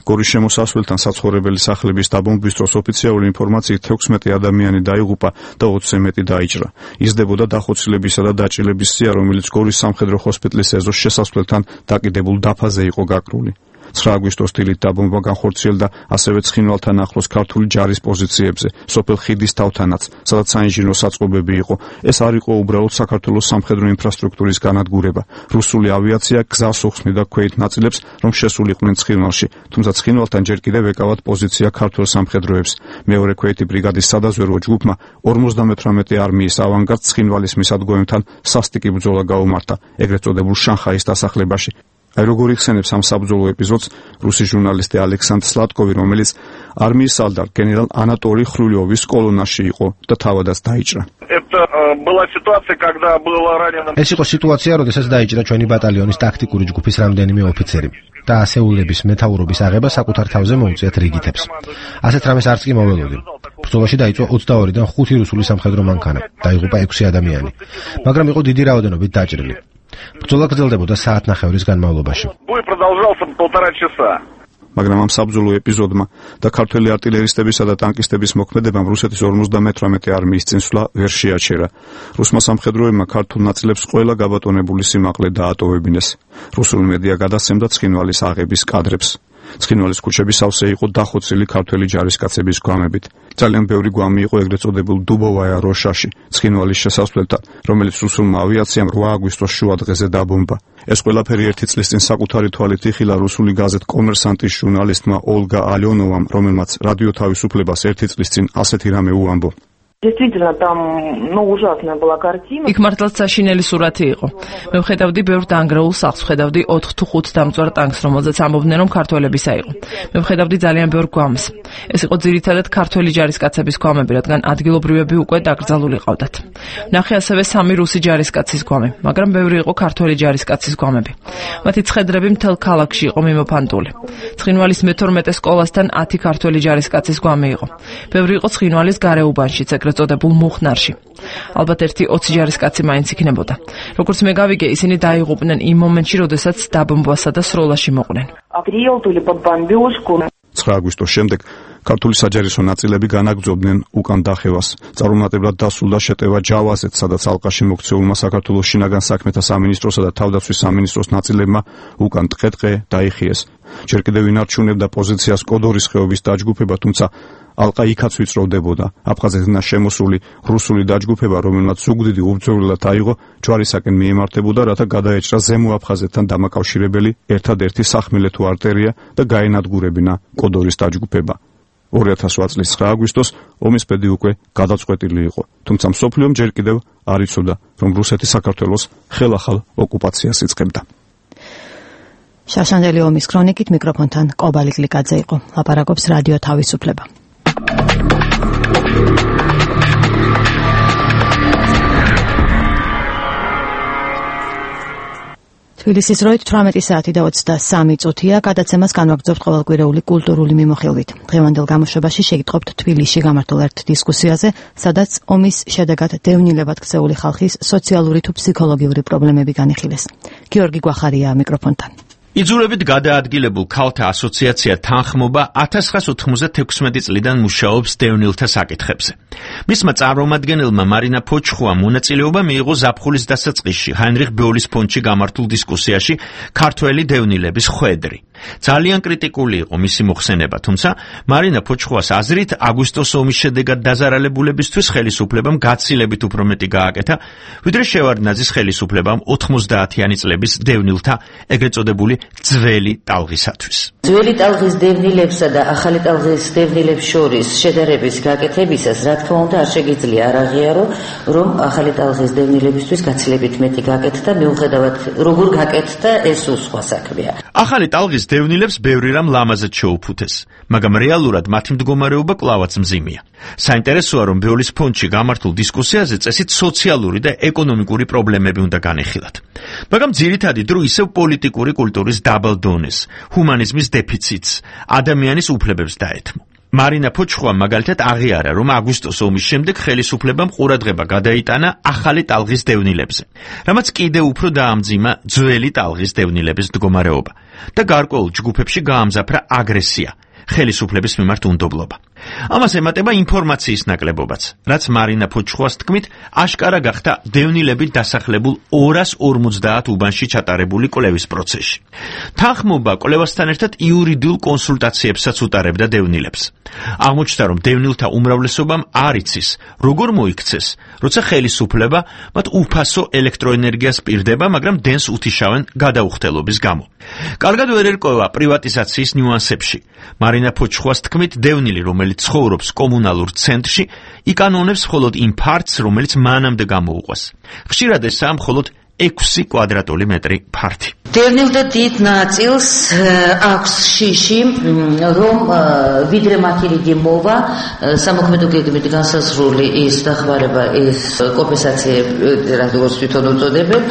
გორის შემოსასვლელთან საცხოვრებელი სახლების დაბომბვის დროს ოფიციალური ინფორმაციით თექვსმეტი ადამიანი დაიღუპა და ოცზე მეტი დაიჭრა. იზრდებოდა დახოცილებისა და დაჭრილების სია, რომელიც გორის სამხედრო ჰოსპიტალის ეზოს შესასვლელთან დაკიდებულ დაფაზე იყო გაკრული. ცხრა აგვისტოს დილით დაბომბვა განხორციელდა ასევე ცხინვალთან ახლოს ქართული ჯარის პოზიციებზე, სოფელ ხიდის თავთანაც, სადაც საინჟინრო საწყობები იყო. ეს არ იყო უბრალოდ საქართველოს სამხედრო ინფრასტრუქტურის განადგურება. რუსული ავიაცია გზას უხსნიდა ქვეით ნაწილებს, რომ შესულიყვნენ ცხინვალში, თუმცა ცხინვალთან ჯერ კიდევ ეკავათ პოზიცია ქართულ სამხედროებს. მეორე ქვეითი ბრიგადის სადაზვერვო ჯგუფმა ორმოცდამეთვრამეტე არმიის ავანგარდს ცხინვალის მისადგომებთან სასტიკი ბრძოლა გაუმართა, ეგრეთ წოდებულ შანხაის დასახლებაში. აი როგორ იხსენებს ამ საბრძოლო ეპიზოდს რუსი ჟურნალისტი ალექსანდრ სლატკოვი, რომელიც არმიის სალდარ გენერალ ანატოლი ხრულიოვის კოლონაში იყო და თავადაც დაიჭრა. ეს იყო სიტუაცია, როდესაც დაიჭრა ჩვენი ბატალიონის ტაქტიკური ჯგუფის რამდენიმე ოფიცერი და ასეულების მეთაურობის აღება საკუთარ თავზე მოუწიათ რიგითებს. ასეთ რამეს არც კი მოველოდი. ბრძოლაში დაიწვა ოცდაორიდან ხუთი რუსული სამხედრო მანქანა, დაიღუპა ექვსი ადამიანი, მაგრამ იყო დიდი რაოდენობით დაჭრილი. ბრძოლა გრძელდებოდა საათნახევრის განმავლობაში. მაგრამ ამ საბრძოლო ეპიზოდმა და ქართველი არტილერისტებისა და ტანკისტების მოქმედებამ რუსეთის ორმოცდამეთვრამეტე არმიის წინსვლა ვერ შეაჩერა. რუსმა სამხედროებმა ქართულ ნაწილებს ყველა გაბატონებული სიმაღლე დაატოვებინეს. რუსული მედია გადასცემდა ცხინვალის აღების კადრებს. ცხინვალის ქუჩები სავსე იყო დახოცილი ქართველი ჯარისკაცების გვამებით. ძალიან ბევრი გვამი იყო ეგრეთ წოდებულ დუბოვაია როშაში, ცხინვალის შესასვლელთან, რომელიც რუსულმა ავიაციამ რვა აგვისტოს შუა დღეზე დაბომბა. ეს ყველაფერი ერთი წლის წინ საკუთარი თვალით იხილა რუსული გაზეთ კომერსანტის ჟურნალისტმა ოლგა ალიონოვამ, რომელმაც რადიო თავისუფლებას ერთი წლის წინ ასეთი რამე უამბო. Действительно, там, ну, ужасная была картина. იქ მართლაც საშინელი სურათი იყო. მე ვხედავდი ბევრ დაანგრეულ სახლს, ვხედავდი ოთხ თუ ხუთ დამწვარ ტანკს, რომელზეც ამბობდნენ, რომ ქართველებისა იყო. მე ვხედავდი ძალიან ბევრ გვამს. ეს იყო ძირითადად ქართველი ჯარისკაცების გვამები, რადგან ადგილობრივები უკვე დაკრძალული ყავდათ. ნახე ასევე სამი რუსი ჯარისკაცის გვამი, მაგრამ ბევრი იყო ქართველი ჯარისკაცის გვამები. მათი ცხედრები მთელ ქალაქში იყო მიმოფანტული. ცხინვალის მეთორმეტე სკოლასთან ათი ქართველი ჯარისკაცის გვამი იყო. ბევრი იყო ცხინვალის გარეუბანშიც, ეგრეთ წოდებულ მუხნარში. ალბათ ერთი ოცი ჯარისკაცი მაინც იქნებოდა. როგორც მე გავიგე, ისინი დაიღუპნენ იმ მომენტში, როდესაც დაბომბვასა და სროლაში მოყვნენ. ცხრა აგვისტოს შემდეგ ქართული საჯარისო ნაწილები განაგრძობდნენ უკან დახევას. წარუმატებლად დასრულდა შეტევა ჯავაზეთ, სადაც ალყაში მოქცეულმა საქართველოს შინაგან საქმეთა სამინისტროსა და თავდაცვის სამინისტროს ნაწილებმა უკან ტყე-ტყე დაიხიეს. ჯერ კიდევ ინარჩუნებდა პოზიციას კოდორის ხეობის დაჯგუფება, თუმცა ალყა იქაც ვიწროვდებოდა. აფხაზეთიდან შემოსული რუსული დაჯგუფება, რომელმაც ზუგდიდი უბრძოლელად აიღო, ჯვარისაკენ მიემართებოდა, რათა გადაეჭრა ზემო აფხაზეთთან დამაკავშირებელი ერთადერთი სახმელეთო არტერია და გაენადგურებინა კოდორის დაჯგუფება. ორი ათას ორი წლის ცხრა აგვისტოს ომის ბედი უკვე გადაწყვეტილი იყო, თუმცა მსოფლიომ ჯერ კიდევ არ იცოდა, რომ რუსეთი საქართველოს ხელახალ ოკუპაციას იწყებდა. შაშანდელი ომის ქრონიკით მიკროფონთან კობალი გლიკაძე იყო. ლაპარაკობს რადიო თავისუფლება. თბილისის დროით თვრამეტი საათი და ოცდასამი წუთია. გადაცემას განვაგრძობთ ყოველკვირეული კულტურული მიმოხილვით. დღევანდელ გამოშვებაში შეგიტყობთ თბილისში გამართულ ერთ დისკუსიაზე, სადაც ომის შედეგად დევნილებად ქცეული ხალხის სოციალური თუ ფსიქოლოგიური პრობლემები განიხილეს. გიორგი გვახარია მიკროფონთან. იძულებით გადაადგილებულ ქალთა ასოციაცია თანხმობა ათას ცხრაას ოთხმოცდათექვსმეტი წლიდან მუშაობს დევნილთა საკითხებზე. მისმა წარმომადგენელმა მარინა ფოჩხუამ მონაწილეობა მიიღო ზაფხულის დასაწყისში ჰაინრიხ ბეულის ფონდში გამართულ დისკუსიაში ქართველი დევნილების ხვედრი. ძალიან კრიტიკული იყო მისი მოხსენება, თუმცა მარინა ფოჩხუას აზრით აგვისტოს ომის შედეგად დაზარალებულებისთვის ხელისუფლებამ გაცილებით უფრო მეტი გააკეთა, ვიდრე შევარდნაძის ხელისუფლებამ ოთხმოცდაათიანი წლების დევნილთა ეგრეთ წოდებული ძველი ტალღისათვის. ძველი ტალღის დევნილებსა და ახალი ტალღის დევნილებს შორის შედარების გაკეთებისას, რა თქმა უნდა არ შეგიძლია არ აღიარო, რომ ახალი ტალღის დევნილებისთვის გაცილებით მეტი გაკეთდა, მიუხედავად როგორ გაკეთდა, ეს სხვა საქმეა. ახალი ტალღის დევნილებს ბევრი რამ ლამაზად შეუფუთეს, მაგრამ რეალურად მათი მდგომარეობა კვლავაც მძიმეა. საინტერესოა, რომ ბეოლის ფონდში გამართულ დისკუსიაზე წესით სოციალური და ეკონომიკური პრობლემები უნდა განეხილათ. მაგრამ ძირითადი დრო ისევ პოლიტიკური კულტურის დაბალ დონეს, ჰუმანიზმის დეფიციტს, ადამიანის უფლებებს დაეთმო. მარინა ფოჩხუა მაგალითად აღიარა, რომ აგვისტოს ომის შემდეგ ხელისუფლებამ ყურადღება გადაიტანა ახალი ტალღის დევნილებზე, რამაც კიდევ უფრო დაამძიმა ძველი ტალღის დევნილების მდგომარეობა და გარკვეულ ჯგუფებში გაამზაფრა აგრესია, ხელისუფლების მიმართ უნდობლობა. ამას ემატება ინფორმაციის ნაკლებობაც, რაც მარინა ფოჩხუას თქმით, აშკარა გახდა დევნილებით დასახლებულ ორას ორმოცდაათ უბანში ჩატარებული კვლევის პროცესში. თანხმობა კვლევასთან ერთად იურიდიულ კონსულტაციებსაც უტარებდა დევნილებს. აღმოჩნდა, რომ დევნილთა უმრავლესობამ არ იცის, როგორ მოიქცეს, როცა ხელისუფლება მათ უფასო ელექტროენერგიას პირდება, მაგრამ დენს უთიშავენ გადაუხდელობის გამო. კარგად ვერ ერკვევა პრივატიზაციის ნიუანსებში. მარინა ფოჩხუას თქმით, დევნილი, რომელიც ცხოვრობს კომუნალურ ცენტრში, იკანონებს მხოლოდ იმ ფართს, რომელიც მანამდე გამოუყვეს. ხშირად ესაა მხოლოდ ექვსი კვადრატული მეტრი ფართი. დევნილთა დიდ ნაწილს აქვს შიში, რომ ვიდრე მათი რიგი მოვა, სამოქმედო გეგმით განსაზღვრული ის დახმარება, ის კომპენსაციები, როგორც თვითონ უწოდებენ,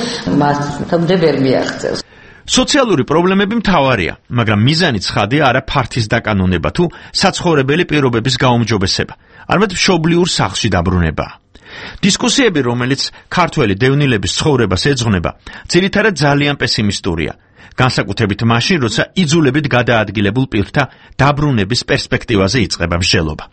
მათამდე ვერ მიაღწევს. სოციალური პრობლემები მთავარია, მაგრამ მიზანი ცხადია არა ფართის დაკანონება თუ საცხოვრებელი პირობების გაუმჯობესება, არამედ მშობლიურ სახლში დაბრუნება. დისკუსიები, რომელიც ქართველი დევნილების ცხოვრებას ეძღვნება, ძირითადად ძალიან პესიმისტურია, განსაკუთრებით მაშინ, როცა იძულებით გადაადგილებულ პირთა დაბრუნების პერსპექტივაზე იწყება მსჯელობა.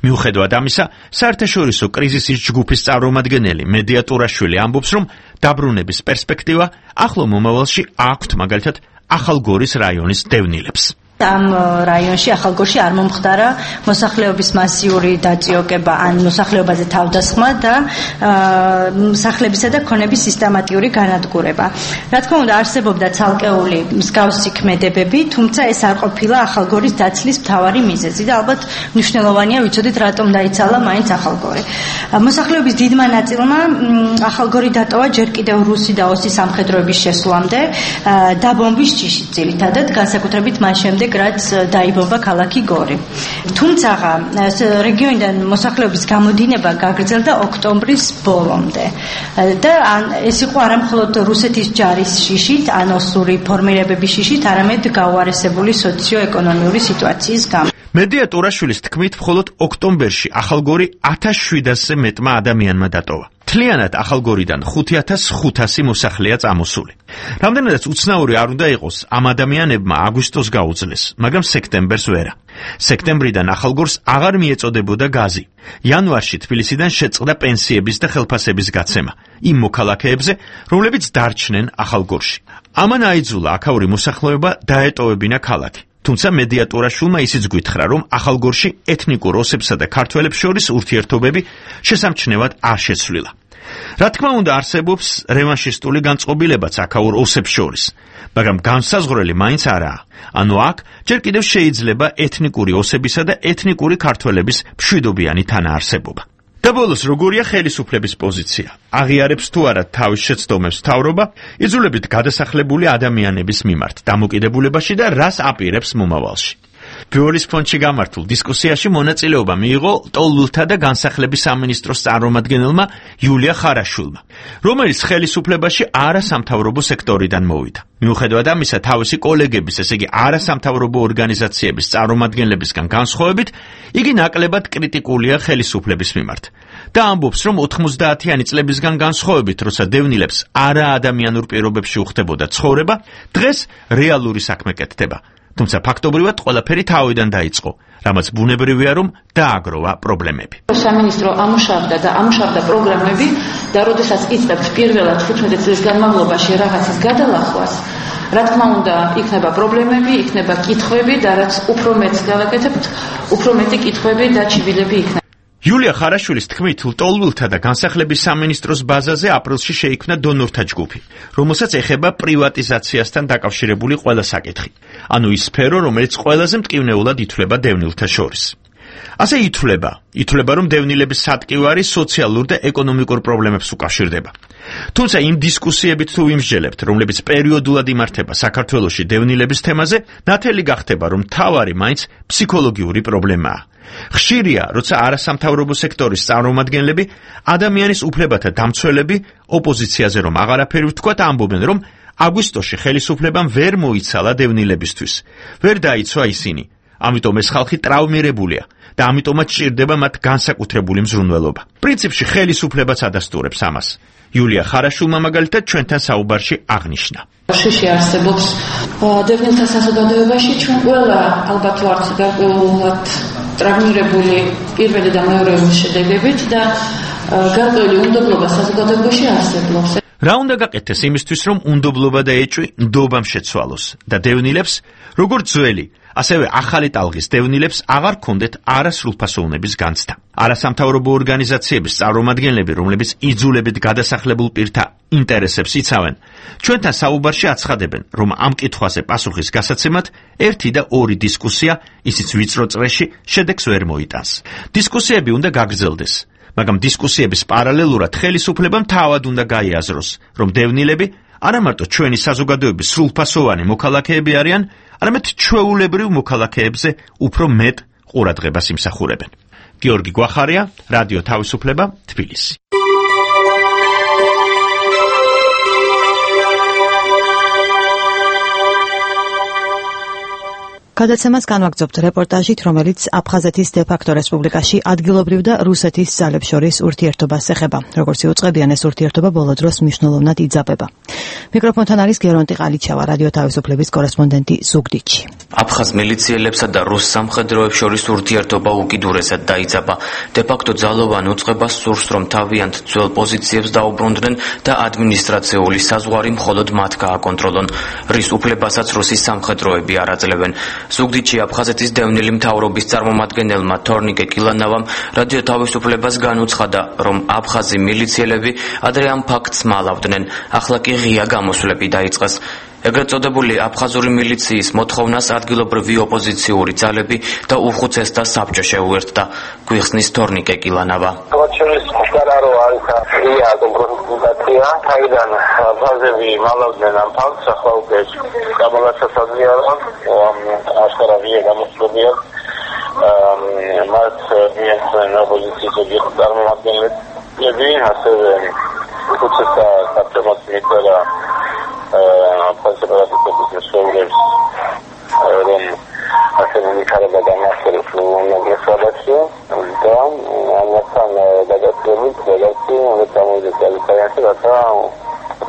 მიუხედავად ამისა, საერთაშორისო კრიზისის ჯგუფის წარმომადგენელი მედია ტურაშვილი ამბობს, რომ დაბრუნების პერსპექტივა ახლო მომავალში აქვთ მაგალითად ახალგორის რაიონის დევნილებს. ამ რაიონში ახალგორში არ მომხდარა მოსახლეობის მასიური დაწიოკება ან მოსახლეობაზე თავდასხმა და სახლებისა და ქონების სისტემატიური განადგურება. რა თქმა უნდა, არსებობდა ცალკეული მსგავსი ქმედებები, თუმცა ეს არ ყოფილა ახალგორის დაცლის მთავარი მიზეზი და ალბათ მნიშვნელოვანია ვიცოდეთ რატომ დაიცალა მაინც ახალგორი. მოსახლეობის დიდმა ნაწილმა ახალგორი დატოვა ჯერ კიდევ რუსი და ოსი სამხედროების შესვლამდე დაბომბვის ჭიშით ძირითადად, განსაკუთრებით მან შემდეგ რაც დაიბომბა ქალაქი გორი. თუმცა რეგიონიდან მოსახლეობის გამოდინება გაგრძელდა ოქტომბრის ბოლომდე და ეს იყო არა მხოლოდ რუსეთის ჯარის შიშით, ან ოსური ფორმირებების შიშით, არამედ გაუარესებული სოციო-ეკონომიური სიტუაციის გამო. მედია ტურაშვილის თქმით, მხოლოდ ოქტომბერში ახალგორი ათას შვიდასზე მეტმა ადამიანმა დატოვა. მთლიანად ახალგორიდან ხუთი ათას ხუთასი მოსახლეა წამოსული. რამდენადაც უცნაური არ უნდა იყოს, ამ ადამიანებმა აგვისტოს გაუძლეს, მაგრამ სექტემბერს ვერა. სექტემბრიდან ახალგორს აღარ მიეწოდებოდა გაზი. იანვარში თბილისიდან შეწყდა პენსიების და ხელფასების გაცემა იმ მოქალაქეებზე, რომლებიც დარჩნენ ახალგორში. ამან აიძულა აქაური მოსახლეობა დაეტოვებინა ქალაქი. თუმცა მედია ტურაშვილმა ისიც გვითხრა, რომ ახალგორში ეთნიკურ ოსებსა და ქართველებს შორის ურთიერთობები შესამჩნევად არ შეცვლილა. რა თქმა უნდა, არსებობს რევანშისტული განწყობილებაც აქაურ ოსებს შორის, მაგრამ განსაზღვრელი მაინც არაა. ანუ აქ ჯერ კიდევ შეიძლება ეთნიკური ოსებისა და ეთნიკური ქართველების მშვიდობიანი თანაარსებობა. და ბოლოს, როგორია ხელისუფლების პოზიცია? აღიარებს თუ არა თავის შეცდომებს მთავრობა, იძულებით გადასახლებული ადამიანების მიმართ დამოკიდებულებაში და რას აპირებს მომავალში. ბეოლის ფონდში გამართულ დისკუსიაში მონაწილეობა მიიღო ტოლულთა და განსახლების სამინისტროს წარმომადგენელმა იულია ხარაშვილმა, რომელიც ხელისუფლებაში არასამთავრობო სექტორიდან მოვიდა. მიუხედავად ამისა, თავისი კოლეგების, ესე იგი არასამთავრობო ორგანიზაციების წარმომადგენლებისგან განსხვავებით, იგი ნაკლებად კრიტიკულია ხელისუფლების მიმართ და ამბობს, რომ ოთხმოცდაათიანი წლებისგან განსხვავებით, როცა დევნილებს არაადამიანურ პირობებში უხდებოდა ცხოვრება, დღეს რეალური საქმე კეთდება. თუმცა ფაქტობრივად ყველაფერი თავიდან დაიწყო, რამაც ბუნებრივია, რომ დააგროვა პრობლემები. სამინისტრო ამუშავდა და ამუშავდა პროგრამები და როდესაც იწყებთ პირველად თხუთმეტი წლის განმავლობაში რაღაცის გადალახვას, რა თქმა უნდა, იქნება პრობლემები, იქნება კითხვები და რაც უფრო მეტს გავაკეთებთ, უფრო მეტი კითხვები და ჩიბილები იქნება. იულია ხარაშვილის თქმით, ლტოლვილთა და განსახლების სამინისტროს ბაზაზე აპრილში შეიქმნა დონორთა ჯგუფი, რომელსაც ეხება პრივატიზაციასთან დაკავშირებული ყველა საკითხი. ანუ ის სფერო, რომელიც ყველაზე მტკივნეულად ითვლება დევნილთა შორის. ასე ითვლება, ითვლება, რომ დევნილების სატკივარი სოციალურ და ეკონომიკურ პრობლემებს უკავშირდება. თუმცა იმ დისკუსიებით თუ ვიმსჯელებთ, რომლებიც პერიოდულად იმართება საქართველოში დევნილების თემაზე, ნათელი გახდება, რომ მთავარი მაინც ფსიქოლოგიური პრობლემაა. ხშირია, როცა არასამთავრობო სექტორის წარმომადგენლები, ადამიანის უფლებათა დამცველები, ოპოზიციაზე რომ აღარაფერი ვთქვათ, ამბობენ, რომ აგვისტოში ხელისუფლებამ ვერ მოიცალა დევნილებისთვის. ვერ დაიცვა ისინი. ამიტომ ეს ხალხი ტრავმირებულია და ამიტომაც ჭირდება მათ განსაკუთრებული მზრუნველობა. პრინციპში ხელისუფლებაც ადასტურებს ამას. იულია ხარაშულმა მაგალითად ჩვენთან საუბარში აღნიშნა. შიში არსებობს დევნილთა საზოგადოებაში, ჩვენ ყველა ალბათ ვართ გარკვეულად ტრავმირებული პირველი და მეორეული შედეგებით და გარკვეული უნდობლობა საზოგადოებაში არსებობს. რა უნდა გაკეთდეს იმისთვის, რომ უნდობლობა და ეჭვი ნდობამ შეცვალოს და დევნილებს, როგორც ძველი, ასევე ახალი ტალღის დევნილებს აღარ ქონდეთ არასრულფასოვნების განცდა. არასამთავრობო ორგანიზაციების წარმომადგენლები, რომლებიც იძულებით გადასახლებულ პირთა ინტერესებს იცავენ, ჩვენთან საუბარში აცხადებენ, რომ ამ კითხვაზე პასუხის გასაცემად ერთი და ორი დისკუსია, ისიც ვიწრო წრეში, შედეგს ვერ მოიტანს. დისკუსიები უნდა გაგრძელდეს. მაგრამ დისკუსიების პარალელურად ხელისუფლებამ თავად უნდა გაიაზროს, რომ დევნილები არა მარტო ჩვენი საზოგადოების სრულფასოვანი მოქალაქეები არიან, არამედ ჩვეულებრივ მოქალაქეებზე უფრო მეტ ყურადღებას იმსახურებენ. გიორგი გვახარია, რადიო თავისუფლება, თბილისი. გადაცემას განვაგრძობთ რეპორტაჟით, რომელიც აფხაზეთის დე-ფაქტო რესპუბლიკაში ადგილობრივ და რუსეთის ძალებს შორის ურთიერთობას ეხება. როგორც იუწყებიან, ეს ურთიერთობა ბოლო დროს მნიშვნელოვნად იძაბება. მიკროფონთან არის გერონტი ყალიჩავა, რადიო თავისუფლების კორესპონდენტი ზუგდიდში. აფხაზ მილიციელებსა და რუს სამხედროებს შორის ურთიერთობა უკიდურესად დაიძაბა. დე-ფაქტო ძალოვან უწყებას სურს, რომ თავიანთ ძველ პოზიციებს დაუბრუნდნენ და ადმინისტრაციული საზღვარი მხოლოდ მათ გააკონტროლონ. რის უფლებასაც რუსის სამხედროები არ აძლევენ. ზუგდიდში აფხაზეთის დევნილი მთავრობის წარმომადგენელმა თორნიკე კილანავამ რადიო თავისუფლებას განუცხადა, რომ აფხაზი მილიციელები ადრე ამ ფაქტს მალავდნენ, ახლა კი ღია გამოსვლები დაიწყეს. ეგრეთ წოდებული აფხაზური მილიციის მოთხოვნას ადგილობრივი ოპოზიციური ძალები და უხუცესთა საბჭო შეუერთდა. გვიხსნის თორნიკე კილანავა. ღია კომპრომიტაცია, თაიდან აფხაზები მალავდნენ ამ ფაქტს, ახლა უკვე გამალასასადია, რომ აშკარა ღია გამოსვლებია. მათ მიეცნენ ოპოზიციის წარმომადგენლები, ასევე უხუცესთა საბჭომაც მიწერა აფხაზების მსხვერპლებს, რომ ასევე მიხარება დამასკის უნგრეთში და ამასთან გადაწყვეტილებით გადაწყვეტი უნდა წამოვიდეს ალიანსი, რათა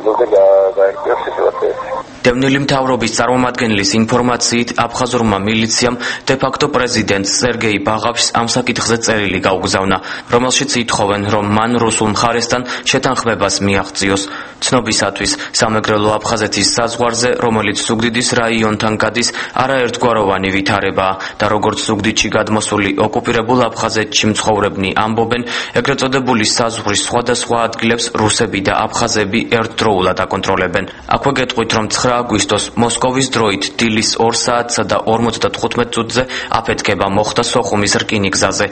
ზოგადად დაერქვეს სიტუაცია. დევნილი მთავრობის წარმომადგენლის ინფორმაციით, აფხაზურმა მილიციამ დე-ფაქტო პრეზიდენტ სერგეი ბაღავშს ამ საკითხზე წერილი გაუგზავნა, რომელშიც ითხოვენ, რომ მან რუსულ მხარესთან შეთანხმებას მიაღწიოს. ცნობისათვის, სამეგრელო აფხაზეთის საზღვარზე, რომელიც ზუგდიდის რაიონთან გადის, არაერთგვაროვანი ვითარებაა და როგორც ზუგდიდში გადმოსული ოკუპირებულ აფხაზეთში მცხოვრებნი ამბობენ, ეგრეთ წოდებული საზღვრის სხვადასხვა ადგილებს რუსები და აფხაზები ერთდროულად აკონტროლებენ. აქვე გეტყვით, რომ ცხრა აგვისტოს მოსკოვის დროით დილის ორ საათსა და ორმოცდათხუთმეტ წუთზე აფეთქება მოხდა სოხუმის რკინიგზაზე.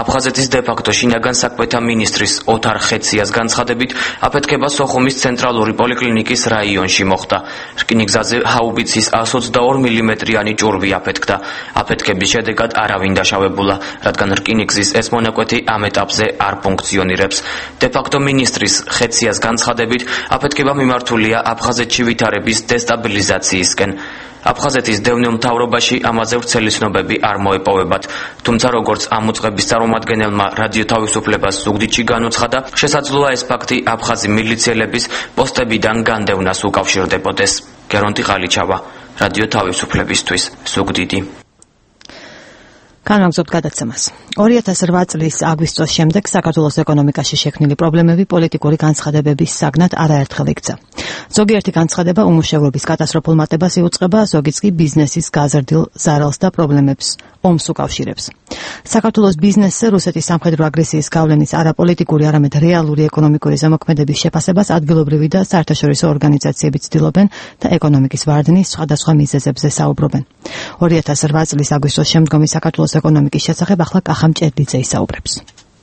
აფხაზეთის დე-ფაქტო შინაგან საქმეთა მინისტრის ოთარ ხეციას განცხადებით, აფეთქება სოხუმის ცენტრალური პოლიკლინიკის რაიონში მოხდა. რკინიგზაზე ჰაუბიცის ას ოცდაორი მილიმეტრიანი ჭურვი აფეთქდა. აფეთქების შედეგად არავინ დაშავებულა, რადგან რკინიგზის ეს მონაკვეთი ამ ეტაპზე არ ფუნქციონირებს. დე-ფაქტო მინისტრის ხეციას განცხადებით, აფეთქება მიმართულია აფხაზეთში ვითარების დესტაბილიზაციისკენ. აფხაზეთის დევნილ მთავრობაში ამაზე ვრცელი ცნობები არ მოეპოვებათ, თუმცა როგორც ამ უწყების წარმომადგენელმა რადიო თავისუფლებას ზუგდიდში განუცხადა, შესაძლოა ეს ფაქტი აფხაზი მილიციელების პოსტებიდან განდევნას უკავშირდებოდეს. გერონტი ყალიჩავა, რადიო თავისუფლებისთვის, ზუგდიდი. განვაგრძობთ გადაცემას. ორი ათას რვა წლის აგვისტოს შემდეგ საქართველოს ეკონომიკაში შექმნილი პრობლემები პოლიტიკური განცხადებების საგნად არაერთხელ იქცა. ზოგიერთი განცხადება უმუშევრობის კატასტროფულ მატებას იუწყება, ზოგიც კი ბიზნესის გაზრდილ ზარალს და პრობლემებს ომს უკავშირებს. საქართველოს ბიზნესზე რუსეთის სამხედრო აგრესიის გავლენის არაპოლიტიკური, არამედ რეალური ეკონომიკური ზემოქმედების შეფასებას ადგილობრივი და საერთაშორისო ორგანიზაციები ცდილობენ და ეკონომიკის ვარდნის სხვადასხვა მიზეზებზე საუბრობენ. ორი ათას რვა წლის აგვისტოს შემდგომი საქართველოს ეკონომიკის შესახებ ახლა კახა მჭედლიძე ისაუბრებს.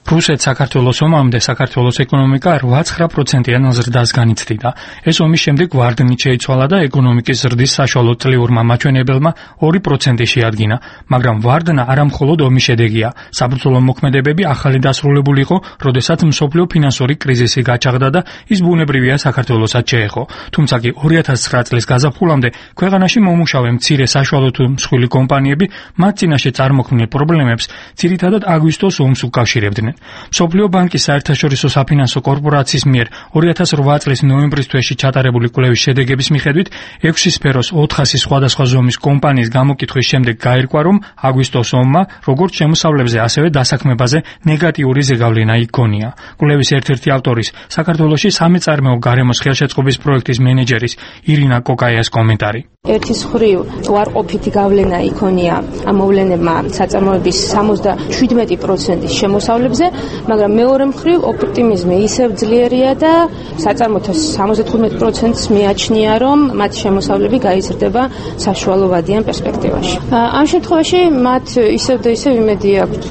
რუსეთს საქართველოს ომამდე საქართველოს ეკონომიკა რვა-ცხრა პროცენტიან ზრდას განიცდიდა. ეს ომის შემდეგ ვარდნით შეიცვალა და ეკონომიკის ზრდის საშუალო წლიურმა მაჩვენებელმა ორი პროცენტი შეადგინა, მაგრამ ვარდნა არა მხოლოდ ომის შედეგია. საბრძოლო მოქმედებები ახალი დასრულებული იყო, როდესაც მსოფლიო ფინანსური კრიზისი გაჩაღდა და ის ბუნებრივია საქართველოსაც შეეხო. თუმცა კი ორი ათას ცხრა წლის გაზაფხულამდე ქვეყანაში მომუშავე მცირე საშუალო თუ მსხვილი კომპანიები მათ წინაშე წარმოქმნილ პრობლემებს ძირითადად აგვისტოს ომს უკავშირებდნენ. მსოფლიო ბანკის საერთაშორისო საფინანსო კორპორაციის მიერ ორი ათას რვა წლის ნოემბრის თვეში ჩატარებული კვლევის შედეგების მიხედვით ექვსი სფეროს ოთხასი სხვადასხვა ზომის კომპანიის გამოკითხვის შემდეგ გაირკვა, რომ აგვისტოს ომმა როგორც შემოსავლებზე, ასევე დასაქმებაზე ნეგატიური ზეგავლენა იქონია. კვლევის ერთ-ერთი ავტორის, საქართველოში სამეწარმეო გარემოს ხელშეწყობის პროექტის მენეჯერის ირინა კოკაიას კომენტარი. ერთის მხრივ უარყოფითი გავლენა იქონია ამ მოვლენებმა საწარმოების სამოცდაშვიდმეტი პროცენტის შემოსავლებზე, მაგრამ მეორე მხრივ ოპტიმიზმი ისევ ძლიერია და საწარმოთა სამოცდათხუთმეტი პროცენტს მიაჩნია, რომ მათი შემოსავლები გაიზრდება საშუალოვადიან პერსპექტივაში. ამ შემთხვევაში მათ ისევ და ისევ იმედი აქვთ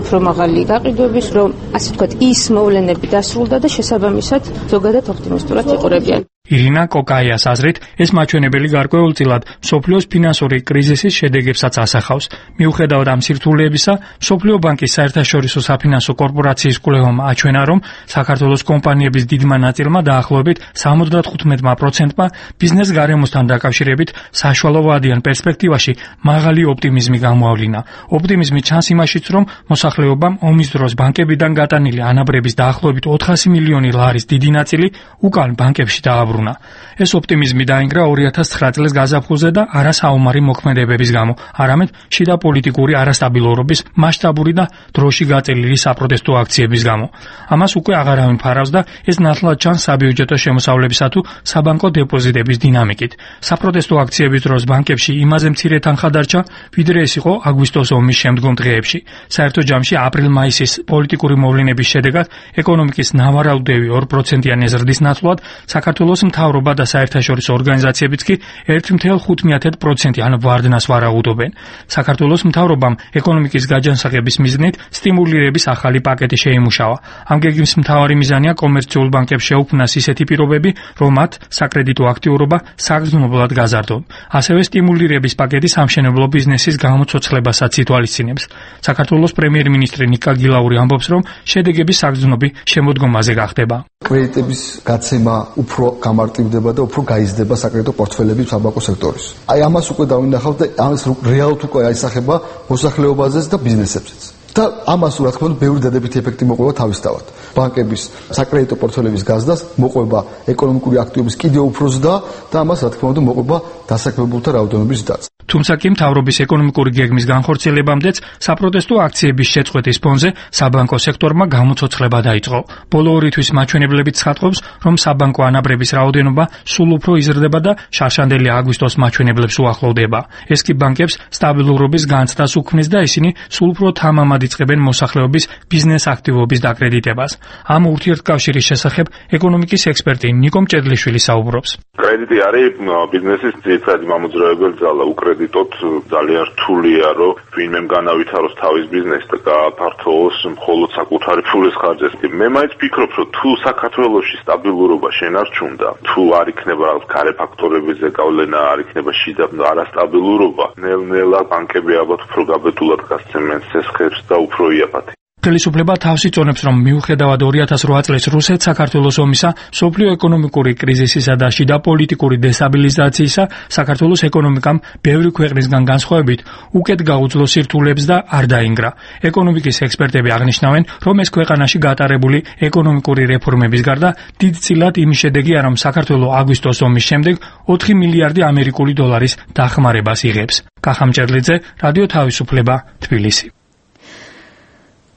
უფრო მაღალი გაყიდვების, რომ ასე ვთქვათ, ის მოვლენები დასრულდა და შესაბამისად ზოგადად ოპტიმისტურად იყურებიან. ირინა კოკაიას აზრით, ეს მაჩვენებელი გარკვეულწილად მსოფლიოს ფინანსური კრიზისის შედეგებსაც ასახავს. მიუხედავად ამ სირთულეებისა, მსოფლიო ბანკის საერთაშორისო საფინანსო კორპორაციის კვლევამ აჩვენა, რომ საქართველოს კომპანიების დიდმა ნაწილმა დაახლოებით სამოცდათხუთმეტი პროცენტმა ბიზნეს გარემოსთან დაკავშირებით საშუალოვადიან პერსპექტივაში მაღალი ოპტიმიზმი გამოავლინა. ოპტიმიზმი ჩანს იმაშიც, რომ მოსახლეობამ ომის დროს ბანკებიდან გატანილი ანაბრების დაახლოებით ოთხასი მილიონი ლარის დიდი ნაწილი უკან ბანკებში დააბრუნა. ეს ოპტიმიზმი დაინგრა ორი ათას ცხრა წლის გაზაფხულზე და არა საომარი მოქმედებების გამო, არამედ შიდა პოლიტიკური არასტაბილურობის მასშტაბური და დროში გაწელილი საპროტესტო აქციების გამო. ამას უკვე აღარავინ ფარავს და ეს ნათლად ჩანს საბიუჯეტო შემოსავლებისა თუ საბანკო დეპოზიტების დინამიკით. საპროტესტო აქციების დროს ბანკებში იმაზე მცირე თანხა დარჩა, ვიდრე ეს იყო აგვისტოს ომის შემდგომ დღეებში. საერთო ჯამში აპრილ-მაისის პოლიტიკური მოვლენების შედეგად ეკონომიკის ნავარაუდევი ორ პროცენტიანი ზრდის ნაცვლად საქართველოს მთავრობა და საერთაშორისო ორგანიზაციებიც კი ერთ целых ხუთ დесятых პროცენტიან ვარდნას ვარაუდობენ. საქართველოს მთავრობამ ეკონომიკის გაჯანსაღების მიზნით სტიმულირების ახალი პაკეტი შეიმუშავა. ამ გეგმის მთავარი მიზანია კომერციულ ბანკებს შეუქმნას ისეთი პირობები, რომ მათ საკრედიტო აქტიურობა საგრძნობლად გაზარდონ. ასევე სტიმულირების პაკეტი სამშენებლო ბიზნესის გამოცოცხლებასაც ითვალისწინებს. საქართველოს პრემიერ-მინისტრი ნიკა გილაური ამბობს, რომ შედეგები საგრძნობი შემოდგომაზე გახდება. კრედიტების გაცემა უფრო გამარტივდება და უფრო გაიზრდება საკრედიტო პორტფელები საბანკო სექტორის. აი ამას უკვე დავინახავთ და ამას რეალურად უკვე აისახება მოსახლეობაზეც და ბიზნესებზეც. და ამას რა თქმა უნდა ბევრი დადებითი ეფექტი მოყვება თავისთავად. ბანკების საკრედიტო პორტფელების გაზრდას მოყვება ეკონომიკური აქტივობის კიდევ უფრო ზრდა და ამას რა თქმა უნდა მოყვება დასაქმებულთა რაოდენობის ზრდაც. თუმცა კი მთავრობის ეკონომიკური გეგმის განხორციელებამდეც საპროტესტო აქციების შეწყვეტის ფონზე საბანკო სექტორმა გამოცოცხლება დაიწყო. ბოლო ორი თვის მაჩვენებლებით ცხადყოფს, რომ საბანკო ანაბრების რაოდენობა სულ უფრო იზრდება და შარშანდელი აგვისტოს მაჩვენებლებს უახლოვდება. ეს კი ბანკებს სტაბილურობის განცდას უქმნის და ისინი სულ უფრო თამამად იწყებენ მოსახლეობის ბიზნეს აქტივობის დაკრედიტებას. ამ ურთიერთკავშირის შესახებ ეკონომიკის ექსპერტი ნიკო მჭედლიშვილი საუბრობს. კრედიტი არის ბიზნესის ძირითადი მამოძრავებელი ძალა. უკრედიტოთ ძალიან რთულია, რომ ვინმემ განავითაროს თავის ბიზნესი და გააფართოვოს მხოლოდ საკუთარი ფულის ხარჯებს. მე მაინც ვფიქრობ, რომ თუ საქართველოში სტაბილურობა შენარჩუნდა, თუ არ იქნება რაღაც გარე ფაქტორებზე გავლენა, არ იქნება შიდა არასტაბილურობა, ნელ-ნელა ბანკები ალბათ უფრო გაბედულად გასცემენ სესხებს და უფრო იაფათი. ხელისუფლება თავს იწონებს, რომ მიუხედავად ორი ათას რვა წლის რუსეთ-საქართველოს ომისა, მსოფლიო ეკონომიკური კრიზისისა და შიდა პოლიტიკური დესტაბილიზაციისა, საქართველოს ეკონომიკამ ბევრი ქვეყნისგან განსხვავებით უკეთ გაუძლო სირთულეებს და არ დაინგრა. ეკონომიკის ექსპერტები აღნიშნავენ, რომ ეს ქვეყანაში გატარებული ეკონომიკური რეფორმების გარდა დიდწილად იმის შედეგია, რომ საქართველო აგვისტოს ომის შემდეგ ოთხი მილიარდი ამერიკული დოლარის დახმარებას იღებს. კახა მჭედლიძე, რადიო თავისუფლება, თბილისი.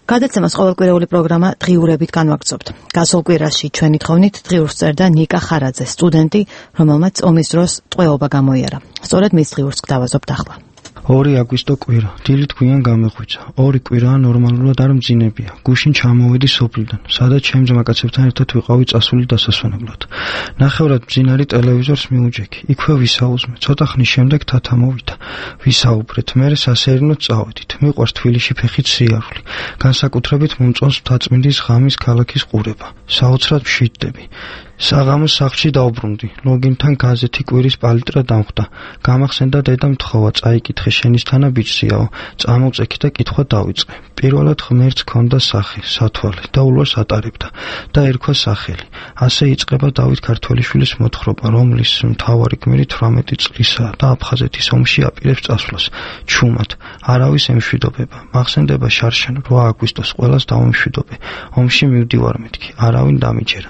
გადაცემას ყოველკვირეული პროგრამა დღიურებით განვაგრძობთ. გასულ კვირაში ჩვენი თხოვნით დღიურს წერდა ნიკა ხარაძე, სტუდენტი, რომელმაც ომის დროს ტყვეობა გამოიარა. სწორედ მის დღიურს გვთავაზობთ ახლა. ორი აგვისტო კვირა, დილით გვიან გამეღვიძა. ორი კვირაა ნორმალურად არ მძინებია. გუშინ ჩამოვედი სოფლიდან, სადაც ჩემ ძმაკაცებთან ერთად ვიყავი წასული დასასვენებლად. ნახევრად მძინარი ტელევიზორს მიუჯექი. იქვე ვისაუზმე. ცოტა ხნის შემდეგ თათა მოვიდა. ვისაუბრეთ, მერე სასერინოდ წავედით. მიყვარს თბილისში ფეხით სიარული. განსაკუთრებით მომწონს მთაწმინდის ღამის ქალაქის ყურება. საოცრად მშვიდდები. საღამოს სახლში დავბრუნდი. ლოგინთან გაზეთი კვირის პალიტრა დამხვდა. გამახსენდა დედამ თხოვა, წაიკითხე შენისთანა ბიჭსიაო. წამოვწექი და კითხვა დავიწყე. პირველად ღმერთს ჰქონდა სახე, სათვალე და ულვას ატარებდა და ერქვა სახელი. ასე იწყება დავით ქართველიშვილის მოთხრობა, რომლის მთავარი გმირი თვრამეტი წლისაა და აფხაზეთის ომში აპირებს წასვლას. ჩუმად, არავის ემშვიდობება. მახსენდება შარშან რვა აგვისტოს ყველას დავამშვიდობე. ომში მივდივარ მეთქი, არავინ დამიჯერა.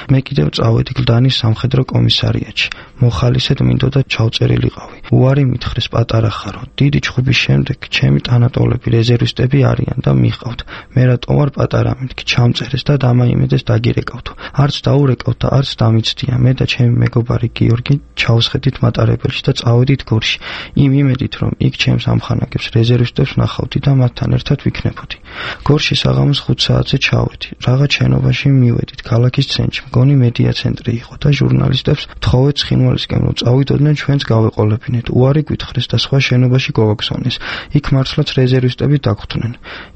მე კიდევ წავედი გლდანის სამხედრო კომისარიატში. მოხალისედ მინდოდა ჩავწერილიყავი. უარი მითხრეს პატარა ხარო. დიდი ჩხუბის შემდეგ ჩემი ტანატოლები რეზერვისტები არიან და მიყავთ. მე რატო ვარ პატარა მეთქი, ჩამწერეს და დამაიმედეს დაგირეკავთო. არც დაურეკავთ და არც დამიცდია. მე და ჩემი მეგობარი გიორგი ჩავსხედით მატარებელში და წავედით გორში. იმ იმედით, რომ იქ ჩემს ამხანაგებს რეზერვისტებს ნახავდი და მათთან ერთად ვიქნებოდი. გორში საღამოს ხუთ საათზე ჩავედი. რაღაც შენობაში მივედით ქალაქის ცენტრში. მგონი მედია ცენტრი იყო და ჟურნალისტებს თხოვეთ ცხინვალისკენ რომ წავიდოდნენ ჩვენს გავეყოლებინეთ. უარი გვითხრეს და სხვა შენობაში გავაგზავნეს. იქ მართლაც რეზერვისტები დაგხვდნენ.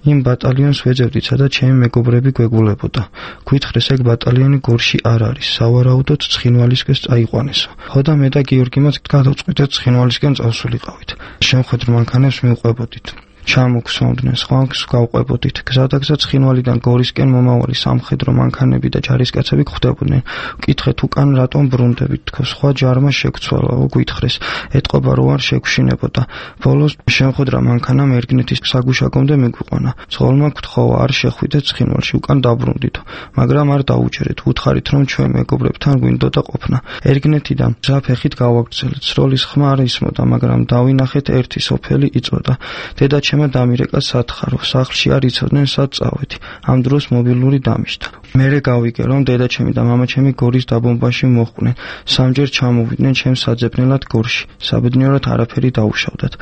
იმ ბატალიონს ვეძებდით, სადაც ჩემი მეგობრები გვეგულებოდა. გვითხრეს ეგ ბატალიონი გორში არ არის. სავარაუდოდ ცხინვალისკენს წაიყვანესო. ხო და მე და გიორგი მას გადავწყვიტეთ ცხინვალისკენ წავსულიყავით. შემხედრ მანქანებს მივყვებოდით. ჩამოგსვამდნენ, სხვანს გავყვებოდით. გზადაგზა ცხინვალიდან გორისკენ მომავალი სამხედრო მანქანები და ჯარისკაცები გვხვდებოდნენ. ვკითხეთ უკან რატომ ბრუნდებით, თქო სხვა ჯარმა შეგვცვალაო, გვითხრეს. ეტყობა რო არ შეგვშინებოდა. ბოლოს შემხედრა მანქანამ ერგნეთის საგუშაგომდე მეგვიყვანა. ცხოველმა გთხოვა არ შეხვიდეთ ცხინვალში, უკან დაბრუნდითო. მაგრამ არ დაუჯერეთ. უთხარით რომ ჩვენ მეგობრებთან გვინდოდა ყოფნა. ერგნეთიდან გზა ფეხით გავაგრძელეთ. სროლის ხმა არ ისმოდა, მაგრამ დავინახეთ ერთი სოფელი იწოდა. დედა ჩემ დამირეკა სათხარო, სახლში არ იცოდნენ სად წავედი. ამ დროს მობილური დამიშთა. მერე გავიგე რომ დედაჩემი და მამაჩემი გორის დაბომბაში მოხვდნენ. სამჯერ ჩამოვიდნენ ჩემს საძებნელად გორში. საბედნიეროდ არაფერი დაუშავდათ.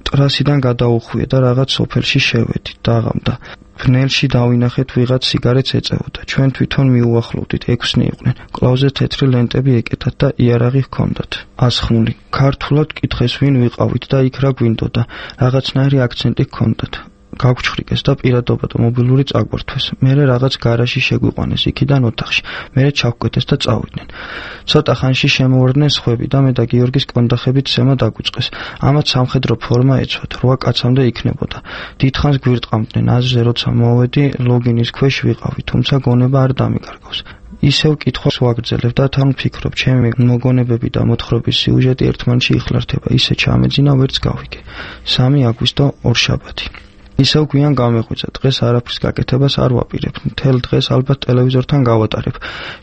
ტრასიდან გადაუხვია და რაღაც სოფელში შევედით. დაღამდა. ფნელში დავინახეთ ვიღაც სიგარეტს ეწევოდა. ჩვენ თვითონ მიუახლოვდით, ექვსნი იყვნენ. კლავზე თეთრი ლენტები ეკეთათ და იარაღი ჰქონდათ. ასხმული. ქართულად კითხეს ვინ ვიყავით და იქ რა გვინდოდა. რაღაცნაირი აქცენტი ჰქონდათ. გავჩხრიკეს და პირადობა და მობილური წაგვართვეს. მერე რაღაც გარაჟში შეგვიყვანეს იქიდან ოთახში. მერე ჩავკვეთეს და წავიდნენ. ცოტა ხანში შემოვარდნენ სხვები და მე და გიორგის კონდახებით სემა დაგვიწყეს. ამათ სამხედრო ფორმა ეცვათ, რვა კაცამდე იქნებოდა. დიდხანს გვირტყამდნენ, აზრზე როცა მოვედი, ლოგინის ქვეშ ვიყავი, თუმცა გონება არ დამიკარგავს. ისევ კითხვას ვაგრძელებ და თან ვფიქრობ, ჩემი მოგონებები და მოთხრობის სიუჟეტი ერთმანეთში იხლართება. ისე ჩამეძინა, ვერც გავიგე. სამი აგვისტო ორშაბათი. ისევ გვიან გამეღვიძა. დღეს არაფრის გაკეთებას არ ვაპირებ. მთელ დღეს ალბათ ტელევიზორთან გავატარებ.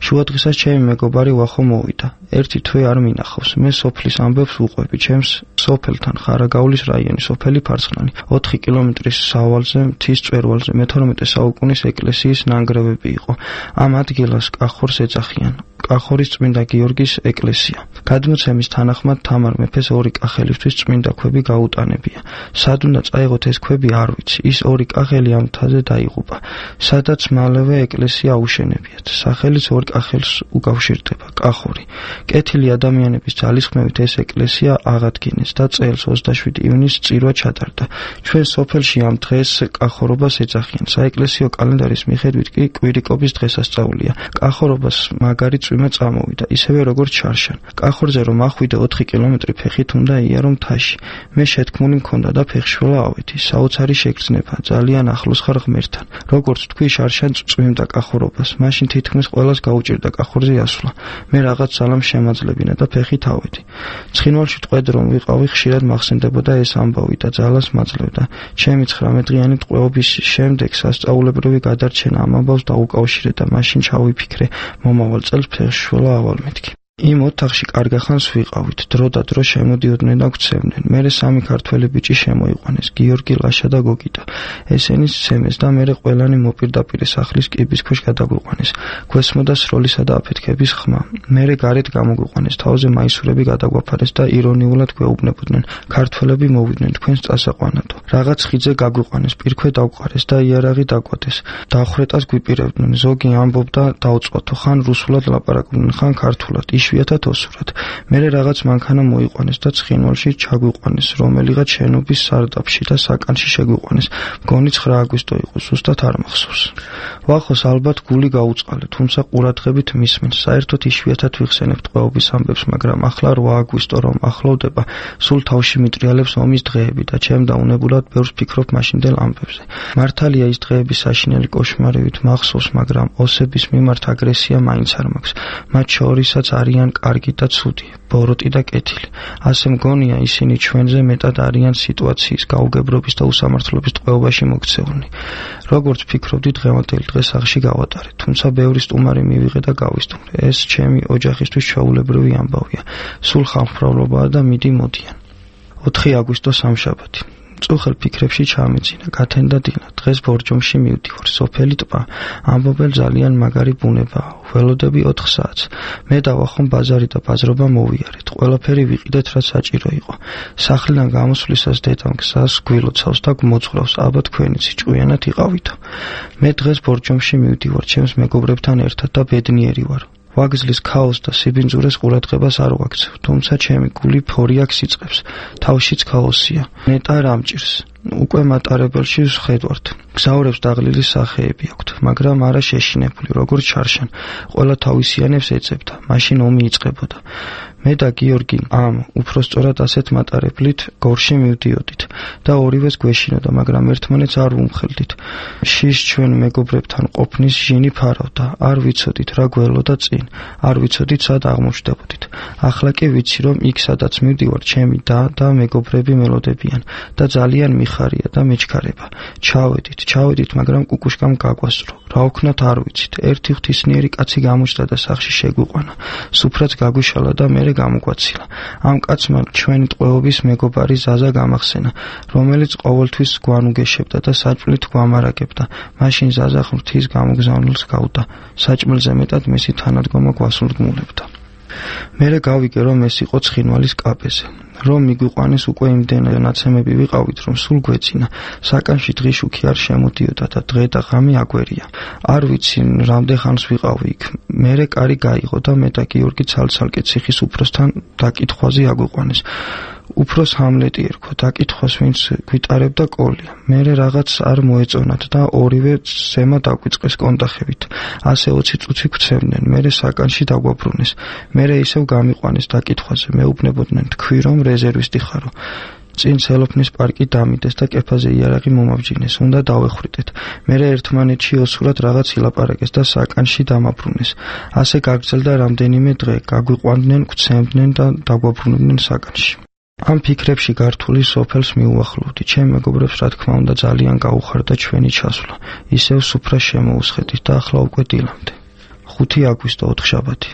შუა დღესაც ჩემი მეგობარი ვახო მოვიდა. ერთი თვე არ მინახავს. მე სოფლის ამბებს ვუყვები. ჩემს სოფელთან ხარაგაულის რაიონი, სოფელი ფარცხნანი. ოთხი კილომეტრის სავალზე, მთის მწვერვალზე მეთორმეტე საუკუნის ეკლესიის ნანგრევები იყო. ამ ადგილას კახორს ეძახიან. კახორის წმინდა გიორგის ეკლესია. გადმოცემის თანახმად თამარ მეფეს ორი კახელისთვის წმინდა ქვები გაუტანებია. სად უნდა წაიღოთ ეს ქვები არ ვიცი. ის ორი კახელი ამ მთაზე დაიღუპა. სადაც მალევე ეკლესია აუშენებიათ. სახელიც ორ კახელს უკავშირდება, კახორი. კეთილი ადამიანების ძალისხმევით ეს ეკლესია აღადგინეს და წელს ოცდაშვიდი ივნისს წირვა ჩატარდა. ჩვენ სოფელში ამ დღეს კახორობას ეძახიან. საეკლესიო კალენდარის მიხედვით კი კვირიკობის დღესასწაულია. კახორობას მაგარი წვიმა წამოვიდა, ისევე როგორც შარშან. კახორზე რომ ახვიდე ოთხი კილომეტრი ფეხით უნდა იარო მთაში. მე შეთქმული მქონდა და ფეხშველა ავედი. საოცარი შეგრძნება, ძალიან ახლოს ხარ ღმერთთან. როგორც თქვი, შარშან წვიმდა კახორობას. მაშინ თითქმის ყველას გაუჭირდა კახორზე ასვლა. მე რაღაც ძალამ შემაძლებინა და ფეხით ავედი. ცხინვალში ტყვედ რომ ვიყავი, ხშირად მახსენდებოდა ეს ამბავი და ძალას მაძლევდა. ჩემი ცხრამეტდღიანი ტყვეობის შემდეგ სასწაულებრივი გადარჩენა ამ ამბავს დაუკავშირე და მაშინ ჩავიფიქრე, მომავალ წელს ფეხშველა ავალ მეთქი. იმ ოთახში კარგახანს ვიყავით, დრო და დრო შემოდიოდნენ და გვცემდნენ. მერე სამი ქართველი ბიჭი შემოიყვანეს, გიორგი, ლაშა და გოგიტა. ესენი სცემეს და მერე ყველანი მოპირდაპირე სახლის კიბის ქვეშ გადაგვიყვანეს. გვესმოდა სროლისა და აფეთქების ხმა. მერე გარეთ გამოგვიყვანეს, თავზე მაისურები გადაგვაფარეს და ირონიულად გვეუბნებოდნენ: ქართველები მოვიდნენ თქვენს წასაყვანადო. რაღაც ხიძე გაგვიყვანეს, პირქვე დავყარეს და იარაღი დაგვადეს. დახვრეტას გვიპირებდნენ. ზოგი ამბობდა დაუწყვათო, ხან რუსულად ლაპარაკობდნენ, ხან ქართულად. იშვიათად ოსურად. მერე რაღაც მანქანა მოიყვანეს და ცხინვალში ჩაგვიყვანეს, რომელიღაც შენობის სარდაფში და საკანში შეგვიყვანეს. მგონი ცხრა აგვისტო იყო, ზუსტად არ მახსოვს. ვახოს ალბათ გული გაუწყალე, თუმცა ყურადღებით მისმენს. საერთოდ იშვიათად ვიხსენებთ ყვაობის ამბებს, მაგრამ ახლა რვა აგვისტო რომ ახლოვდება, სულ თავში მიტრიალებს ომის დღეები და ჩემ დაუნებულად ბევრს ფიქრობ მაშინდელ ამბებზე. მართალია ის დღეები საშინელი კოშმარივით მახსოვს, მაგრამ ოსების მიმართ აგრესია მაინც არ მაქვს. მათ შორისაც არიან კარგი და ცუდი, ბოროტი და კეთილი. ასე მგონია ისინი ჩვენზე მეტად არიან სიტუაციის, გაუგებრობის და უსამართლობის ტყვეობაში მოქცეულნი. როგორც ფიქრობდი, დღევანდელი დღე სახლში გავატარე, თუმცა ბევრი სტუმარი მივიღე და გავისტუმრე. ეს ჩემი ოჯახისთვის ჩვეულებრივი ამბავია. სულ ხალხმრავლობაა და მიდი მოდიან. ოთხი აგვისტო სამშაბათი. წუხელ ფიქრებში ჩამეძინა, გათენდა დილა. დღეს ბორჯომში მივდივარ, სოფელი ტბა. ამბობენ ძალიან მაგარი ბუნებაა. ველოდები ოთხ საათს. მე დავახომ ბაზარი და ბაზრობა მოვიარეთ. ყველაფერი ვიყიდეთ, რაც საჭირო იყო. სახლიდან გამოსვლისას დედამ გზას გვილოცავს და გმოძღვრავს, აბა თქვენიც ჭკვიანად იყავითო. მე დღეს ბორჯომში მივდივარ, ჩემს მეგობრებთან ერთად და ბედნიერი ვარ. ვაგზლის ქაოსს და სიბინძურეს ყურადღებას არ ვაქცევ, თუმცა ჩემი გული ფორიაქს იწყებს, თავშიც ქაოსია. ნეტა რამჭირს. უკვე მატარებელში ვხედავთ. გზაურებს დაღლილი სახეები აქვთ, მაგრამ არა შეშინებული, როგორც ჩარშან. ყველა თავისიანებს ეძებდა, მაშინ ომი იწყებოდა. მე და გიორგი ამ უпроსწორად ასეთ მატარებლით გორში მივდიოდით და ორივეს გვეშინოდა, მაგრამ ერთმანეთს არ ვუმხელდით. შიშ ჩვენ მეგობრებთან ყოფნის ჟინი ფარავდა, არ ვიცოდით რა გველოდა წინ, არ ვიცოდით სად აღმოჩნდებოდით. ახლა კი ვიცი, რომ იქ სადაც მივდივარ, ჩემი და და მეგობრები მელოდებიან და ძალიან მიხარია და მეჩქარება. ჩავედით, ჩავედით, მაგრამ კუკუშკამ გაგვასწრო. რა ვქნათ არ ვიცით. ერთი ღვთისმიერი კაცი გამოჩნდა და სახლში შეგვიყვანა. სუფრაც გაგვიშალა და მე გამოგვაცილა. ამ კაცმა ჩვენი ტყვეობის მეგობარი ზაზა გამახსენა, რომელიც ყოველთვის გვანუგეშებდა და საჭმლით გვამარაგებდა. მაშინ ზაზა ღვთის გამოგზავნილს გავდა. საჭმელზე მეტად მისი თანადგომა გვასრულგმულებდა. მერე გავიგე, რომ ეს იყო ცხინვალის კაპეზე. რომ მიგვიყვანეს უკვე იმდენად ნაცემები ვიყავით, რომ სულ გვეცინა. საკანში დღიშუქი არ შემოდიოდა და დღე და ღამე აგვერია. არ ვიცი, რამდენ ხანს ვიყავი იქ. მერე კარი გაიღო და მე და გიორგი ცალ-ცალკე ციხის უფროსთან დაკითხვაზე აგვიყვანეს. უფროს ჰამლეტი ერქვა, დაკითხვას ვინც გვიტარებდა კოლია. მერე რაღაც არ მოეწონათ და ორივე ზემა დაგვიწყეს კონტახებით. ასე ოცი წუთი გვცემდნენ, მერე საკანში დაგვაბრუნეს. მერე ისევ გამიყვანეს დაკითხვაზე, მეუბნებოდნენ, თქვი რომ რეზერვისტი ხარო. წინ სელოფნის პარკი დამიდეს და კეფაზე იარაღი მომავჯინეს, უნდა დავეხვიდეთ. მერე ერთმანეთში ოსურად რაღაც ილაპარაკეს და საკანში დამაბრუნეს. ასე გაგრძელდა რამდენიმე დღე, გაგვიყვანდნენ, გვცემდნენ და დაგვაბრუნებდნენ საკანში. ამ ფიქრებში გართული სოფელს მიუახლოვდი. ჩემ მეგობრებს რა თქმა უნდა ძალიან გაუხარდა ჩვენი ჩასვლა. ისევ სუფრას შემოუსხედით და ახლა უკვე დილამდე. ხუთი აგვისტო ოთხშაბათი.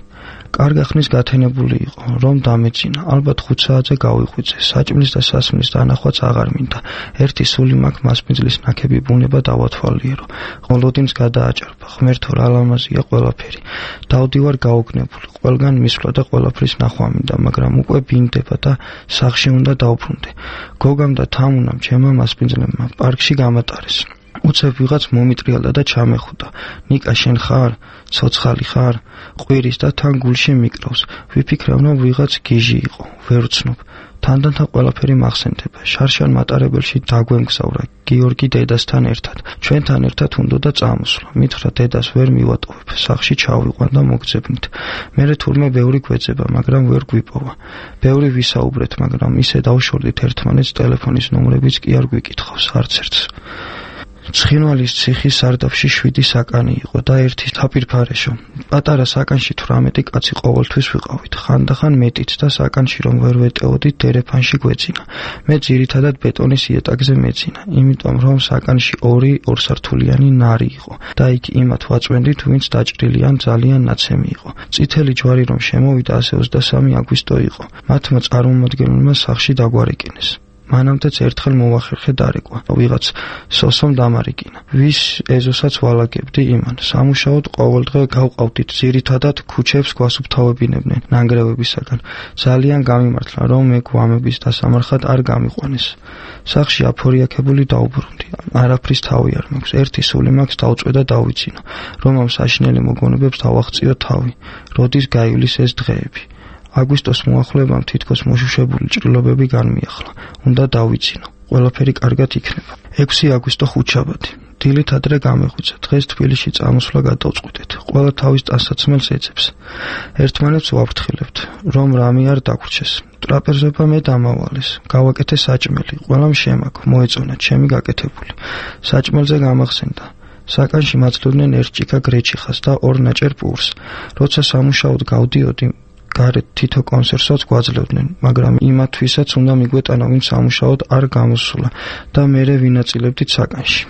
კარგა ხნის გათენებული იყო, რომ დამეძინა. ალბათ ხუთ საათზე გავიღვიძე. საჭმლის და სასმლის დანახვაც აღარ მინდა. ერთი სული მაქვს მასპინძლის ნაქები ბუნება დავათვალიერო. ყოლოდინს გადააჭარბა. ღმერთო რა ლამაზია ყველაფერი. დავდივარ გაოგნებული. ყველგან მისვლა და ყველაფრის ნახვა მინდა, მაგრამ უკვე ბინდება და სახლში უნდა დავბრუნდე. გოგამ და თამუნამ ჩემმა მასპინძლებმა პარკში გამატარეს. უცებ ვიღაც მომიტრიალდა და ჩამეხუდა. ნიკა შენ ხარ? ცოცხალი ხარ? ყვირის და თან გულში მიკრავს. ვიფიქრე, რომ ვიღაც გიჟი იყო. ვერ ვცნობ. თანდათან ყველაფერი მახსენდება. შარშან მატარებელში დაგვემგზავრა გიორგი დედასთან ერთად. ჩვენთან ერთად უნდოდა წამოსვლა. მითხრა დედას ვერ მივატოვებ. სახლში ჩავიყვან და მოგძებნით. მერე თურმე ბევრი გვეძება, მაგრამ ვერ გვიპოვა. ბევრი ვისაუბრეთ, მაგრამ ისე დავშორდით ერთმანეთს, ტელეფონის ნომრებიც კი არ გვიკითხავს არც ერთს. ცხინვალის ციხის სარდაფში შვიდი საკანი იყო და ერთი თაპირფარეშო. პატარა საკანში თვრამეტი კაცი ყოველთვის ვიყავით, ხანდახან მეტიც და საკანში რომ ვერ ვეტეოდით დერეფანში გვეძინა. მე ძირითადად ბეტონის იატაკზე მეძინა, იმიტომ რომ საკანში ორი ორსართულიანი ნარი იყო და იქ იმათ ვაწვენდით, ვინც დაჭრილი ან ძალიან ნაცემი იყო. წითელი ჯვარი რომ შემოვიდა ასე ოცდასამი აგვისტო იყო. მათმა წარმომადგენელმა სახლში დაგვარეკინეს. მანამდეც ერთხელ მოვახერხე დარეკვა, ვიღაც სოსომ დამარიკინა. ვის ეზოსაც ვალაგებდი იმან. სამუშაოდ ყოველდღე გავყავდით, ძირითადად ქუჩებს გვასუფთავებინებდნენ ნანგრევებისაგან. ძალიან გამიმართლა, რომ მე გვამების დასამარხად არ გამიყვანეს. სახლში აფორიაქებული დაუბრუნდი. არაფრის თავი არ მაქვს. ერთი სული მაქვს დავწვე და დავიცინო, რომ ამ საშინელი მოგონებებს დავაღწიო თავი. როდის გაივლის ეს დღეები? აგვისტოს მოახლებამ თითქოს მოშუშებული ჭრილობები განმიახლა. უნდა დავიცინო. ყველაფერი კარგად იქნება. ექვსი აგვისტო ხუთშაბათი. დილით ადრე გამეღვიძა. დღეს თბილისში წამოსვლა გადავწყვიტეთ. ყველა თავის ტანსაცმელს ეძებს. ერთმანეთს ვაფრთხილებთ, რომ რამე არ დაგვრჩეს. ტრაპეზობა მე დამავალეს. გავაკეთე საჭმელი. ყველამ შემაქ, მოეწონა ჩემი გაკეთებული. საჭმელზე გამახსენდა. საკანში მაცლოდნენ ერთ ჭიქა გრეჩიხას და ორ ნაჭერ პურს. როცა სამუშაოდ გავდიოდი, გარეთ თითო კონსერვსაც გვაძლევდნენ, მაგრამ იმათვისაც უნდა მიგვეტანა, ვინც სამუშაოდ არ გამოსულა და მერე ვინაწილებდით საკანში.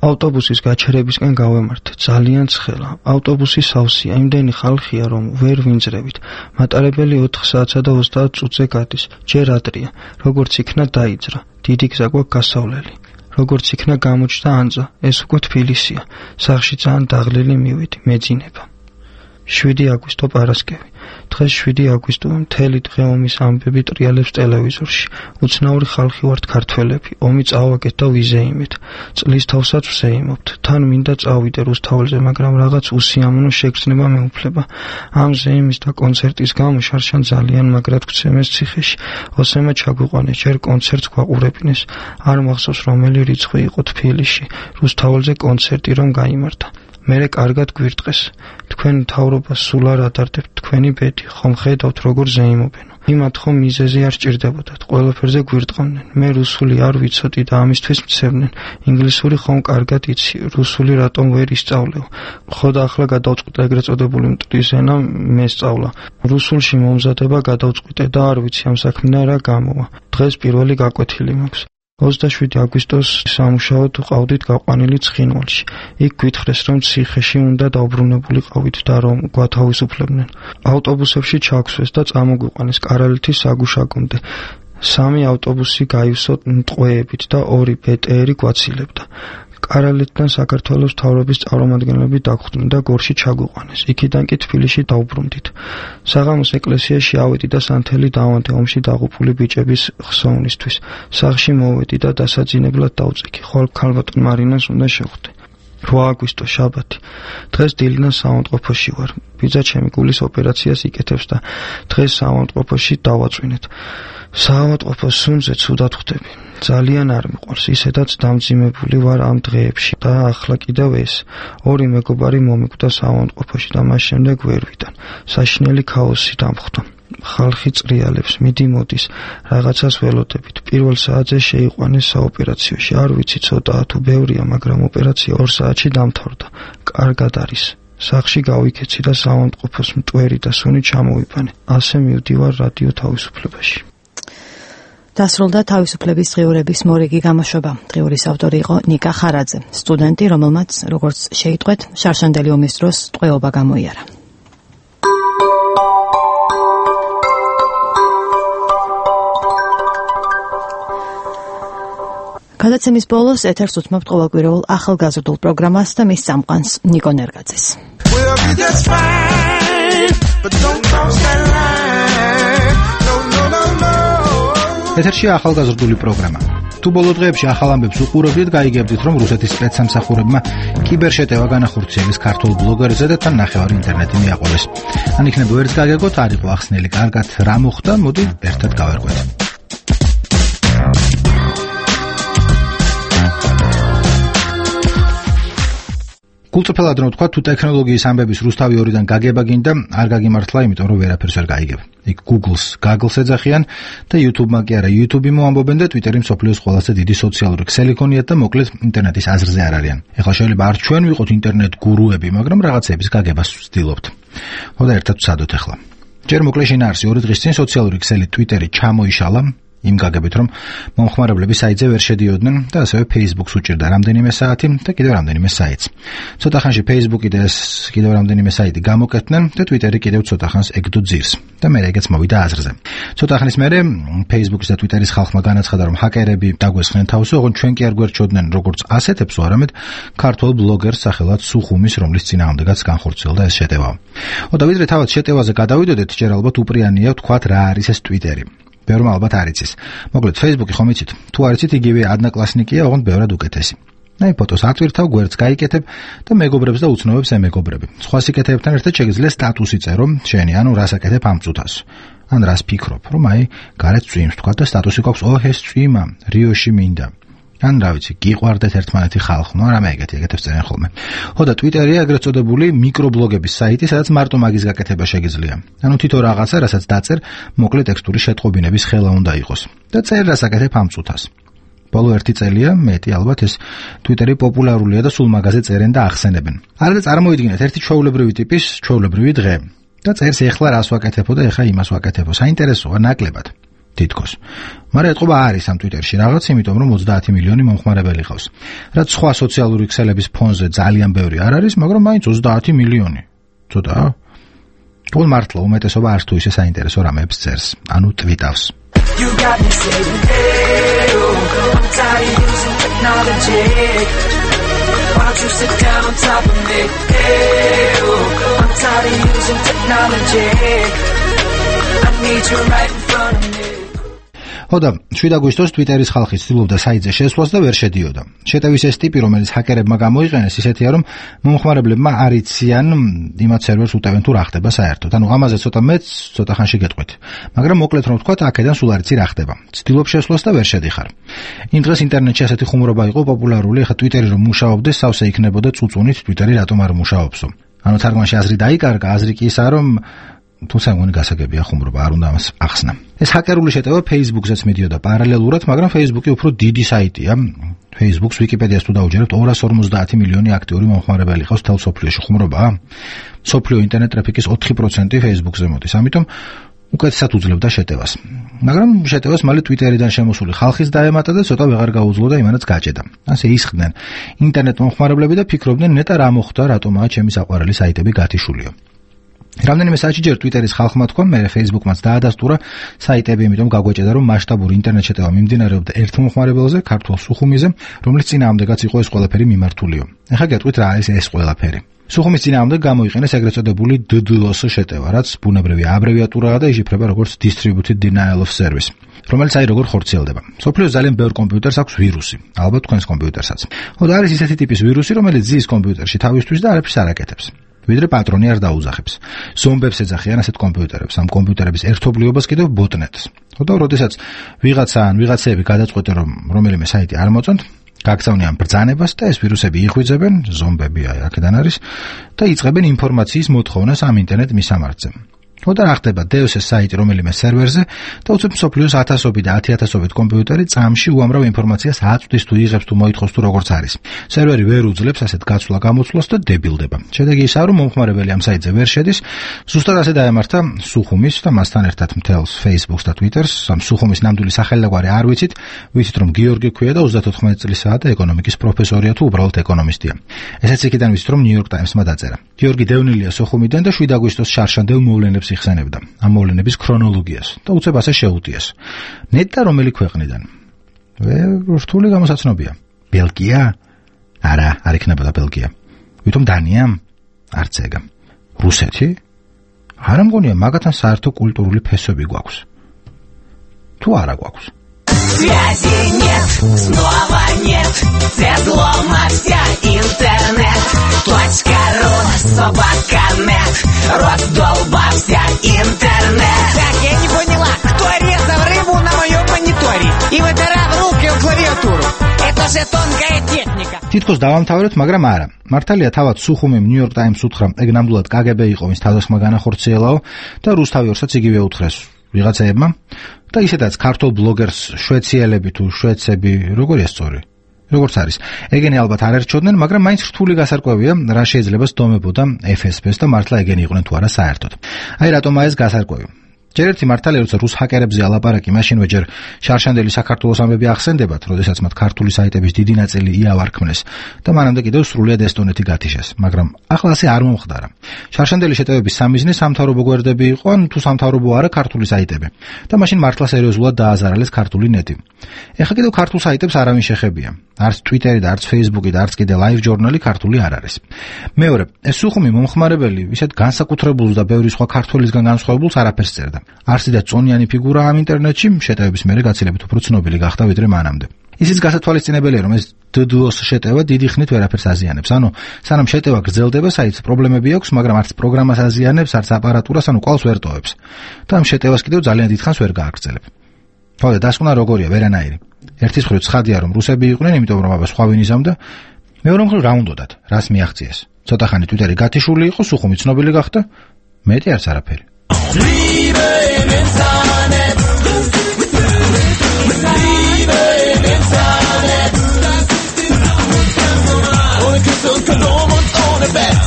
ავტობუსის გაჩერებისკენ გავემართე, ძალიან ცხელა. ავტობუსი სავსეა, იმდენი ხალხია, რომ ვერ ვინძრევით. მატარებელი ოთხ საათსა და ოცდაათ წუთზე გადის. ჯერ ადრია, როგორც იქნა დაიძრა. დიდი გზა გვაქვს გასავლელი. როგორც იქნა გამოჩნდა ანძა, ეს უკვე თბილისია. სახლში ძალიან დაღლილი მივედი, მეძინება. შვიდი აგვისტო პარასკევი. დღეს შვიდი აგვისტოა, მთელი დღე ომის ამბები ტრიალებს ტელევიზორში. უცნაური ხალხი ვართ ქართველები, ომი წავაგეთ და ვიზეიმეთ. წლის თავსაც ვზეიმობთ. თან მინდა წავიდე რუსთაველზე, მაგრამ რაღაც უსიამოვნო შეგრძნება მეუფლება. ამ ზეიმის და კონცერტის გამო შარშან ძალიან მაგრად გვცემეს ციხეში. ოსემა ჩაგვიყვანეს, ჯერ კონცერტს გვაყურებინეს. არ მახსოვს რომელი რიცხვი იყო თბილისში. რუსთაველზე კონცერტი რომ გაიმართა. მერე კარგად გვირტყეს. თქვენ მთავრობას სულ არ ადარდებთ, თქვენი ბედი, ხომ ხედავთ როგორ ზეიმობენო. იმათ ხომ მიზეზი არ სჭირდებოდათ, ყველაფერზე გვირტყავდნენ. მე რუსული არ ვიცოდი და ამისთვის მცემდნენ. ინგლისური ხომ კარგად იცი, რუსული რატომ ვერ ისწავლეო. ხო და ახლა გადავწყვიტე ეგრეთ წოდებული მტრის ენა მესწავლა. რუსულში მომზადება გადავწყვიტე და არ ვიცი ამ საქმიდან რა გამოვა. დღეს პირველი გაკვეთილი მაქვს. ოცდაშვიდი აგვისტოს სამუშაოდ ვყავდით გაყვანილი ცხინვალში. იქ გვითხრეს, რომ ციხეში უნდა დაუბრუნებულიყავით და რომ გვათავისუფლებდნენ. ავტობუსებში ჩაგვსვეს და წამოგვიყვანეს კარალეთის საგუშაგომდე. სამი ავტობუსი გაივსოთ მტყვეებით და ორი ბე ტე ერი გვაცილებდა. კარალეთიდან საქართველოს მთავრობის წარმომადგენლები დაგვხვდნენ და გორში ჩაგვიყვანეს. იქიდან კი თბილისში დავბრუნდით. საღამოს ეკლესიაში ავედი და სანთელი დავანთე ომში დაღუპული ბიჭების ხსოვნისთვის. სახლში მოვედი და დასაძინებლად დავწიქი. ხოლ ქალბატონ მარინას უნდა შევხვდე. რვა აგვისტო შაბათი. დღეს დილიდან საავადმყოფოში ვარ. ბიძა ჩემი გულის ოპერაციას იკეთებს და დღეს საავადმყოფოში დავაწვინეთ. საავადმყოფოს სუნზე ცუდად ხვდები. ძალიან არ მიყვარს, ისედაც დამძიმებული ვარ ამ დღეებში და ახლა კიდევ ეს. ორი მეგობარი მომიკვდა საავადმყოფოში და მას შემდეგ ვერ ვიდან. საშინელი ქაოსი დამხვდა. ხალხი წრიალებს, მიდი მოდის, რაღაცას ველოდებით. პირველ საათზე შეიყვანეს საოპერაციოში. არ ვიცი ცოტაა თუ ბევრია, მაგრამ ოპერაცია ორ საათში დამთავრდა. კარგად არის. სახლში გავიქეცი და საავადმყოფოს მტვერი და სუნი ჩამოვიყვანე. ასე მივდივარ რადიო თავისუფლებაში. დასრულდა თავისუფლების დღიურების მორიგი გამოშვება. დღიურის ავტორი იყო ნიკა ხარაძე, სტუდენტი, რომელმაც, როგორც შეიტყვეთ, შარშანდელი ომის დროს ტყვეობა გამოიარა. გადაცემის ბოლოს ეთერს უთმობთ ყოველკვირეულ ახალგაზრდულ პროგრამას და მის წამყვანს ნიკო ნერგაძეს. ეთერშია ახალგაზრდული პროგრამა. თუ ბოლო დღეებში ახალ ამბებს უყურებდით, გაიგებდით, რომ რუსეთის სპეცსამსახურებმა კიბერშეტევა განახორციელეს ქართულ ბლოგერზე და თან ნახევარი ინტერნეტი მიაყოლეს. ან იქნება ვერც გაგეგოთ, არ იყო ახსნელი კარგად რა მოხდა, მოდი ერთად გავერკვეთ. გულწრფელად რომ ვთქვა, თუ ტექნოლოგიის ამბების რუსთავი ორიდან გაგება გინდა, არ გაგიმართლა, იმიტომ რომ ვერაფერს ვერ გაიგებ. იქ Google-ს Gaggle-ს ეძახიან და YouTube-მა კი არა, YouTube-ი მოამბობენ და Twitter-ი მსოფლიოს ყველაზე დიდი სოციალური ქსელი ქონიათ და მოკლედ ინტერნეტის აზრზე არ არიან. ეხლა შეიძლება არ ჩვენ ვიყოთ ინტერნეტ გურუები, მაგრამ რაღაცების გაგებას ვცდილობთ. ხო და ერთად ვსადოთ ახლა. ჯერ მოკლე შინაარსი ორი დღის წინ სოციალური ქსელი Twitter-ი ჩამოიშალა იმ გაგებით, რომ მომხმარებლები საიტზე ვერ შედიოდნენ და ასევე Facebook-ს უჭირდა რამდენიმე საათი და კიდევ რამდენიმე საიტს. ცოტა ხანში Facebook-ი და ეს კიდევ რამდენიმე საიტი გამოკეთდნენ და Twitter-ი კიდევ ცოტა ხანს ეკდო ძირს და მე ეგეც მოვიდა აზრზე. ცოტა ხნის მერე Facebook-ის და Twitter-ის ხალხმა განაცხადა, რომ ჰაკერები დაგვესხნენ თავს, ოღონდ ჩვენ კი არ გვერჩოდნენ როგორც ასეთებს, არამედ ქართულ ბლოგერს სახელად სუხუმის, რომლის წინააღმდეგაც განხორციელდა ეს შეტევა. ო და ვიდრე თავად შეტევაზე გადავიდოდეთ, ჯერ ალბათ უპრიანია ვთქვათ რა არის ეს Twitter-ი. ბევრმა ალბათ არ იცის. მოკლედ Facebook-ი ხომ იცით? თუ არ იცით, იგივე ადნაკლასნიკია, ოღონდ ბევრად უკეთესი. აი ფოტოს ატვირთავ, გვერდს გაიკეთებ და მეგობრებს და უცნობებს ემეგობრები. სხვა სიკეთეებთან ერთად შეგიძლია სტატუსი წერო, შენი, ანუ რას აკეთებ ამ წუთას. ან რას ფიქრობ, რომ აი გარეთ წვიმს თქვა და სტატუსი გვაქვს, ოჰ ეს წვიმა, რიოში მინდა. ან რა ვიცი, გიყვარდეთ ერთმანეთი ხალხ, ნუ არა მე ეგეთი, ეგეთებს წერენ ხოლმე. ხო და Twitter-ი ეგრეთ წოდებული მიკრობლოგების საიტი, სადაც მარტო მაგის გაკეთება შეგიძლია. ანუ თითო რაღაცა, რასაც დაწერ, მოკლე ტექსტური შეტყობინების ხელა უნდა იყოს. და წერ რას აკეთებ ამ წუთას. ბოლო ერთი წელია, მეტი ალბათ ეს Twitter-ი პოპულარულია და სულ მაგაზე წერენ და ახსენებენ. არა და წარმოიდგინეთ ერთი ჩვეულებრივი ტიპის ჩვეულებრივი დღე. და წერს ეხლა რას ვაკეთებო და ეხლა იმას ვაკეთებო. საინტერესოა ნაკლებად. თითქოს. მაგრამ ეთყობა არის ამ Twitter-ში რაღაც, იმიტომ რომ ოცდაათი მილიონი მომხმარებელი ყავს. რაც სხვა სოციალური ქსელების ფონზე ძალიან ბევრი არ არის, მაგრამ მაინც ოცდაათი მილიონი. ცოტაა. თულ მართლა უმეტესობა არც თუ ისე საინტერესო რამეებს წერს, ანუ ტვიტავს. You got me saying, hey, oh, I'm tired of using technology. Why don't you sit down on top of me? Hey, oh, I'm tired of using technology. I need you right in front of me. ხო და შვიდ აგვისტოს Twitter-ის ხალხი ცდილობდა საიტზე შესვლას და ვერ შედიოდა. შეტევის ეს ტიპი, რომელიც ჰაკერებმა გამოიყენეს, ისეთია, რომ მომხმარებლებმა არ იციან იმათ სერვერს უტევენ თუ რა ხდება საერთოდ. ანუ ამაზე ცოტა მეც ცოტა ხანში გეტყვით. მაგრამ მოკლედ რომ ვთქვათ, აქედან სულ არ იცი რა ხდება. ცდილობ შესვლას და ვერ შედიხარ. იმ დღეს ინტერნეტში ასეთი ხუმრობა იყო პოპულარული, ახლა Twitter-ი რომ მუშაობდეს, სავსე იქნებოდა წუწუნით Twitter-ი რატომ არ მუშაობსო. ანუ თარგმანში აზრი დაიკარგა, აზრი კი ისაა, რომ თუმცა მგონი გასაგებია ხუმრობა, არ უნდა ამას ახსნა. ეს ჰაკერული შეტევა Facebook-ზეც მიდიოდა პარალელურად, მაგრამ Facebook-ი უფრო დიდი საიტია. Facebook-ს Wikipedias თუ დაუჯერებთ, ორას ორმოცდაათი მილიონი აქტიური მომხმარებელი ყავს თელ სოფლიოში. ხუმრობაა? სოფლიო ინტერნეტ ტრაფიკის ოთხი პროცენტი Facebook-ზე მოდის, ამიტომ უკეთესად უძლებდა შეტევას. მაგრამ შეტევას მალე Twitter-იდან შემოსული ხალხის დაემატა და ცოტა ვეღარ გაუძლო და იმანაც გაჭედა. ასე ისხდნენ ინტერნეტ მომხმარებლები და ფიქრობდნენ, ნეტა რა მოხდა, რატომაა ჩემი საყვარელი საიტები გათიშულიო. რამდენიმე საათში ჯერ Twitter-ის ხალხმა თქვა, მე Facebook-მაც დაადასტურა საიტები, იმიტომ გაგვეჭედა, რომ მასშტაბური ინტერნეტ შეტევა მიმდინარეობდა ერთ მომხმარებელზე, ქართულ სუხუმიზე, რომლის წინააღმდეგაც იყო ეს ყველაფერი მიმართულიო. ეხლა გეტყვით რა არის ეს ყველაფერი. სუხუმის წინააღმდეგ გამოიყენეს ეგრეთ წოდებული D DoS შეტევა, რაც ბუნებრივი აბრევიატურაა და იშიფრება როგორც Distributed Denial of Service, რომელიც აი როგორ ხორციელდება. სოფლიოს ძალიან ბევრ კომპიუტერს აქვს ვირუსი, ალბათ თქვენს კომპიუტერსაც. ხო და არის ისეთი ტიპის ვირუსი, რომელიც ზის კომპიუტერში თავისთვის და არაფერს არ აკეთებს. ვიდრე პატრონი არ დაუძახებს. ზომბებს ეძახიან ასეთ კომპიუტერებს, ამ კომპიუტერების ერთობლიობას კიდევ ბოტნეტს. ხო და როდესაც ვიღაცა ან ვიღაცები გადაწყვეტენ, რომ რომელიმე საიტი არ მოწონთ, გაგზავნიან ბრძანებას და ეს ვირუსები იხვიძებენ, ზომბები აი აქედან არის და იწყებენ ინფორმაციის მოთხოვნას ამ ინტერნეტ მისამართზე. ხო და რა ხდება, დევს ეს საიტი რომელიმე სერვერზე და უცებ მსოფლიოს ათასობით და ათიათასობით კომპიუტერი წამში უამრავ ინფორმაციას აწვდის თუ იღებს თუ მოითხოვს თუ როგორც არის. სერვერი ვერ უძლებს ასეთ გაცვლა-გამოცვლას და დებილდება. შედეგი ისაა, რომ მომხმარებელი ამ საიტზე ვერ შედის. ზუსტად ასე დაემართა სუხუმის და მასთან ერთად მთელს Facebook-ს და Twitter-ს. ამ სუხუმის ნამდვილი სახელდაგვარი არ ვიცით, ვიცით რომ გიორგი ქვია და ოცდათოთხმეტ წლისაა და ეკონომიკის პროფესორია თუ უბრალოდ ეკონომისტია. ესეც იქიდან ვიცით რომ New York Times-მა დაწერა. გიორგი დევნილია სუხუმიდან და შვიდ აგვისტოს შარშანდელ მოვლენებს იხსენებდა ამ მოვლენების ქრონოლოგიას და უცებ ასე შეუტიეს. ნეტა რომელი ქვეყნიდან? რთული გამოსაცნობია. ბელგია? არა, არ იქნებოდა ბელგია. ვითომ დანია? არც ეგა. რუსეთი? არა მგონია, მაგათთან საერთო культурული ფესვები გვაქვს. თუ არა გვაქვს? Связи нет, снова нет, взлома вся интернет. Точка ру, собака нет, раздолбался интернет. Так, я не поняла, кто резал рыбу на моем мониторе и вытирал руки в клавиатуру? Это თითქოს დავამთავრეთ, მაგრამ არა. მართალია თავად სუხუმიმ ნიუ-იორკ ტაიმს უთხრა, ეგ ნამდვილად კაგები იყო, ვის თავდასხმა განახორციელაო და რუსთავი ორსაც იგივე უთხრეს ვიღაცაებმა და ისედაც ქართულ ბლოგერს შვეციელები თუ შვედები როგორია სწორი? როგორც არის. ეგენი ალბათ არ ერჩოდნენ, მაგრამ მაინც რთული გასარკვევია, რა შეიძლება სდომებოდა ეფ ეს ბეს და მართლა ეგენი იყვნენ თუ არა საერთოდ. აი რატომაა ეს გასარკვევი? ჯერ ერთი მართალია, როცა რუს ჰაკერებზე ალაპარაკი, მაშინვე ჯერ შარშანდელი საქართველოს ამბები ახსენდებათ, როდესაც მათ ქართული საიტების დიდი ნაწილი იავარქმნეს და მანამდე კიდევ სრულიად ესტონეთი გათიშეს, მაგრამ ახლა ასე არ მომხდარა. შარშანდელი შეტევების სამიზნე სამთავრობო გვერდები იყო, ან თუ სამთავრობო არა ქართული საიტები. და მაშინ მართლა სერიოზულად დააზარალეს ქართული ნეტი. ეხლა კიდევ ქართულ საიტებს არავინ შეხებია. არც ტვიტერი და არც ფეისბუკი და არც კიდე ლაივ ჟურნალი ქართული არ არის. მეორე, ეს სუხუმი მომხმარებელი ისეთ განსაკუთრებულს და ბევრი სხვა ქართველისგან განსხვავებულს არაფერს წერდა. არსი და წონიანი ფიგურა ამ ინტერნეტში შეტევების მერე გაცილებით უფრო ცნობილი გახდა ვიდრე მანამდე. ისიც გასათვალისწინებელია, რომ ეს დდოს შეტევა დიდი ხნით ვერაფერს აზიანებს. ანუ სანამ შეტევა გრძელდება, საიტს პრობლემები აქვს, მაგრამ არც პროგრამას აზიანებს, არც აპარატურას, ანუ კვალს ვერ ტოვებს. და ამ შეტევას კიდევ ძალიან დიდხანს ვერ გააგრძელებ. თორე დასკვნა როგორია, ვერანაირი. ერთის მხრივ ცხადია, რომ რუსები იყვნენ, იმიტომ რომ აბა სხვა ვინ იზამდა. მეორე მხრივ რა უნდათ, რას მიაღწიეს. ცოტა ხანი ტვიტერი გათიშული იყო, სუხუმი ცნობილი გახდა, მეტი არც არაფერი. Liebe im Internet, Liebe im Internet, ohne Küsse und Kondom und ohne Bett.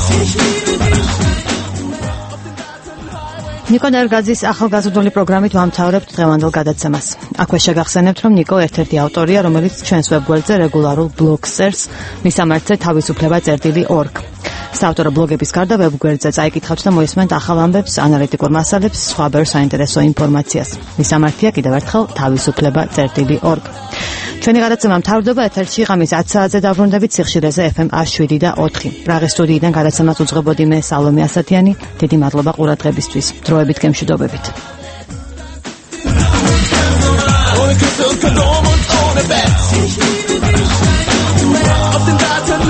ნიკო ნერგაძის ახალგაზრდული პროგრამით ვამთავრებთ დღევანდელ გადაცემას. აქვე შეგახსენებთ, რომ ნიკო ერთ-ერთი ავტორია, რომელიც ჩვენს ვებგვერდზე რეგულარულ ბლოგს წერს, მისამართზე თავისუფლება წერტილი ორგ. საავტორო ბლოგების გარდა ვებგვერდზე წაიკითხავთ და მოისმენთ ახალ ამბებს, ანალიტიკურ მასალებს, სხვა ბევრ საინტერესო ინფორმაციას. მისამართია კიდევ ერთხელ თავისუფლება წერტილი ორგ. ჩვენი გადაცემა მთავრდება ეთერში ღამის ათ საათზე დაბრუნდებით სიხშირეზე ეფ ემ შვიდი და ოთხი. პრაღის სტუდიიდან გადაცემას უძღვებოდი მე სალომე ასათიანი. დიდი მადლობა ყურადღებისთვის. დროებით გემშვიდობებით. Ohne Küsse und Kondom und ohne Bett. Auf den Daten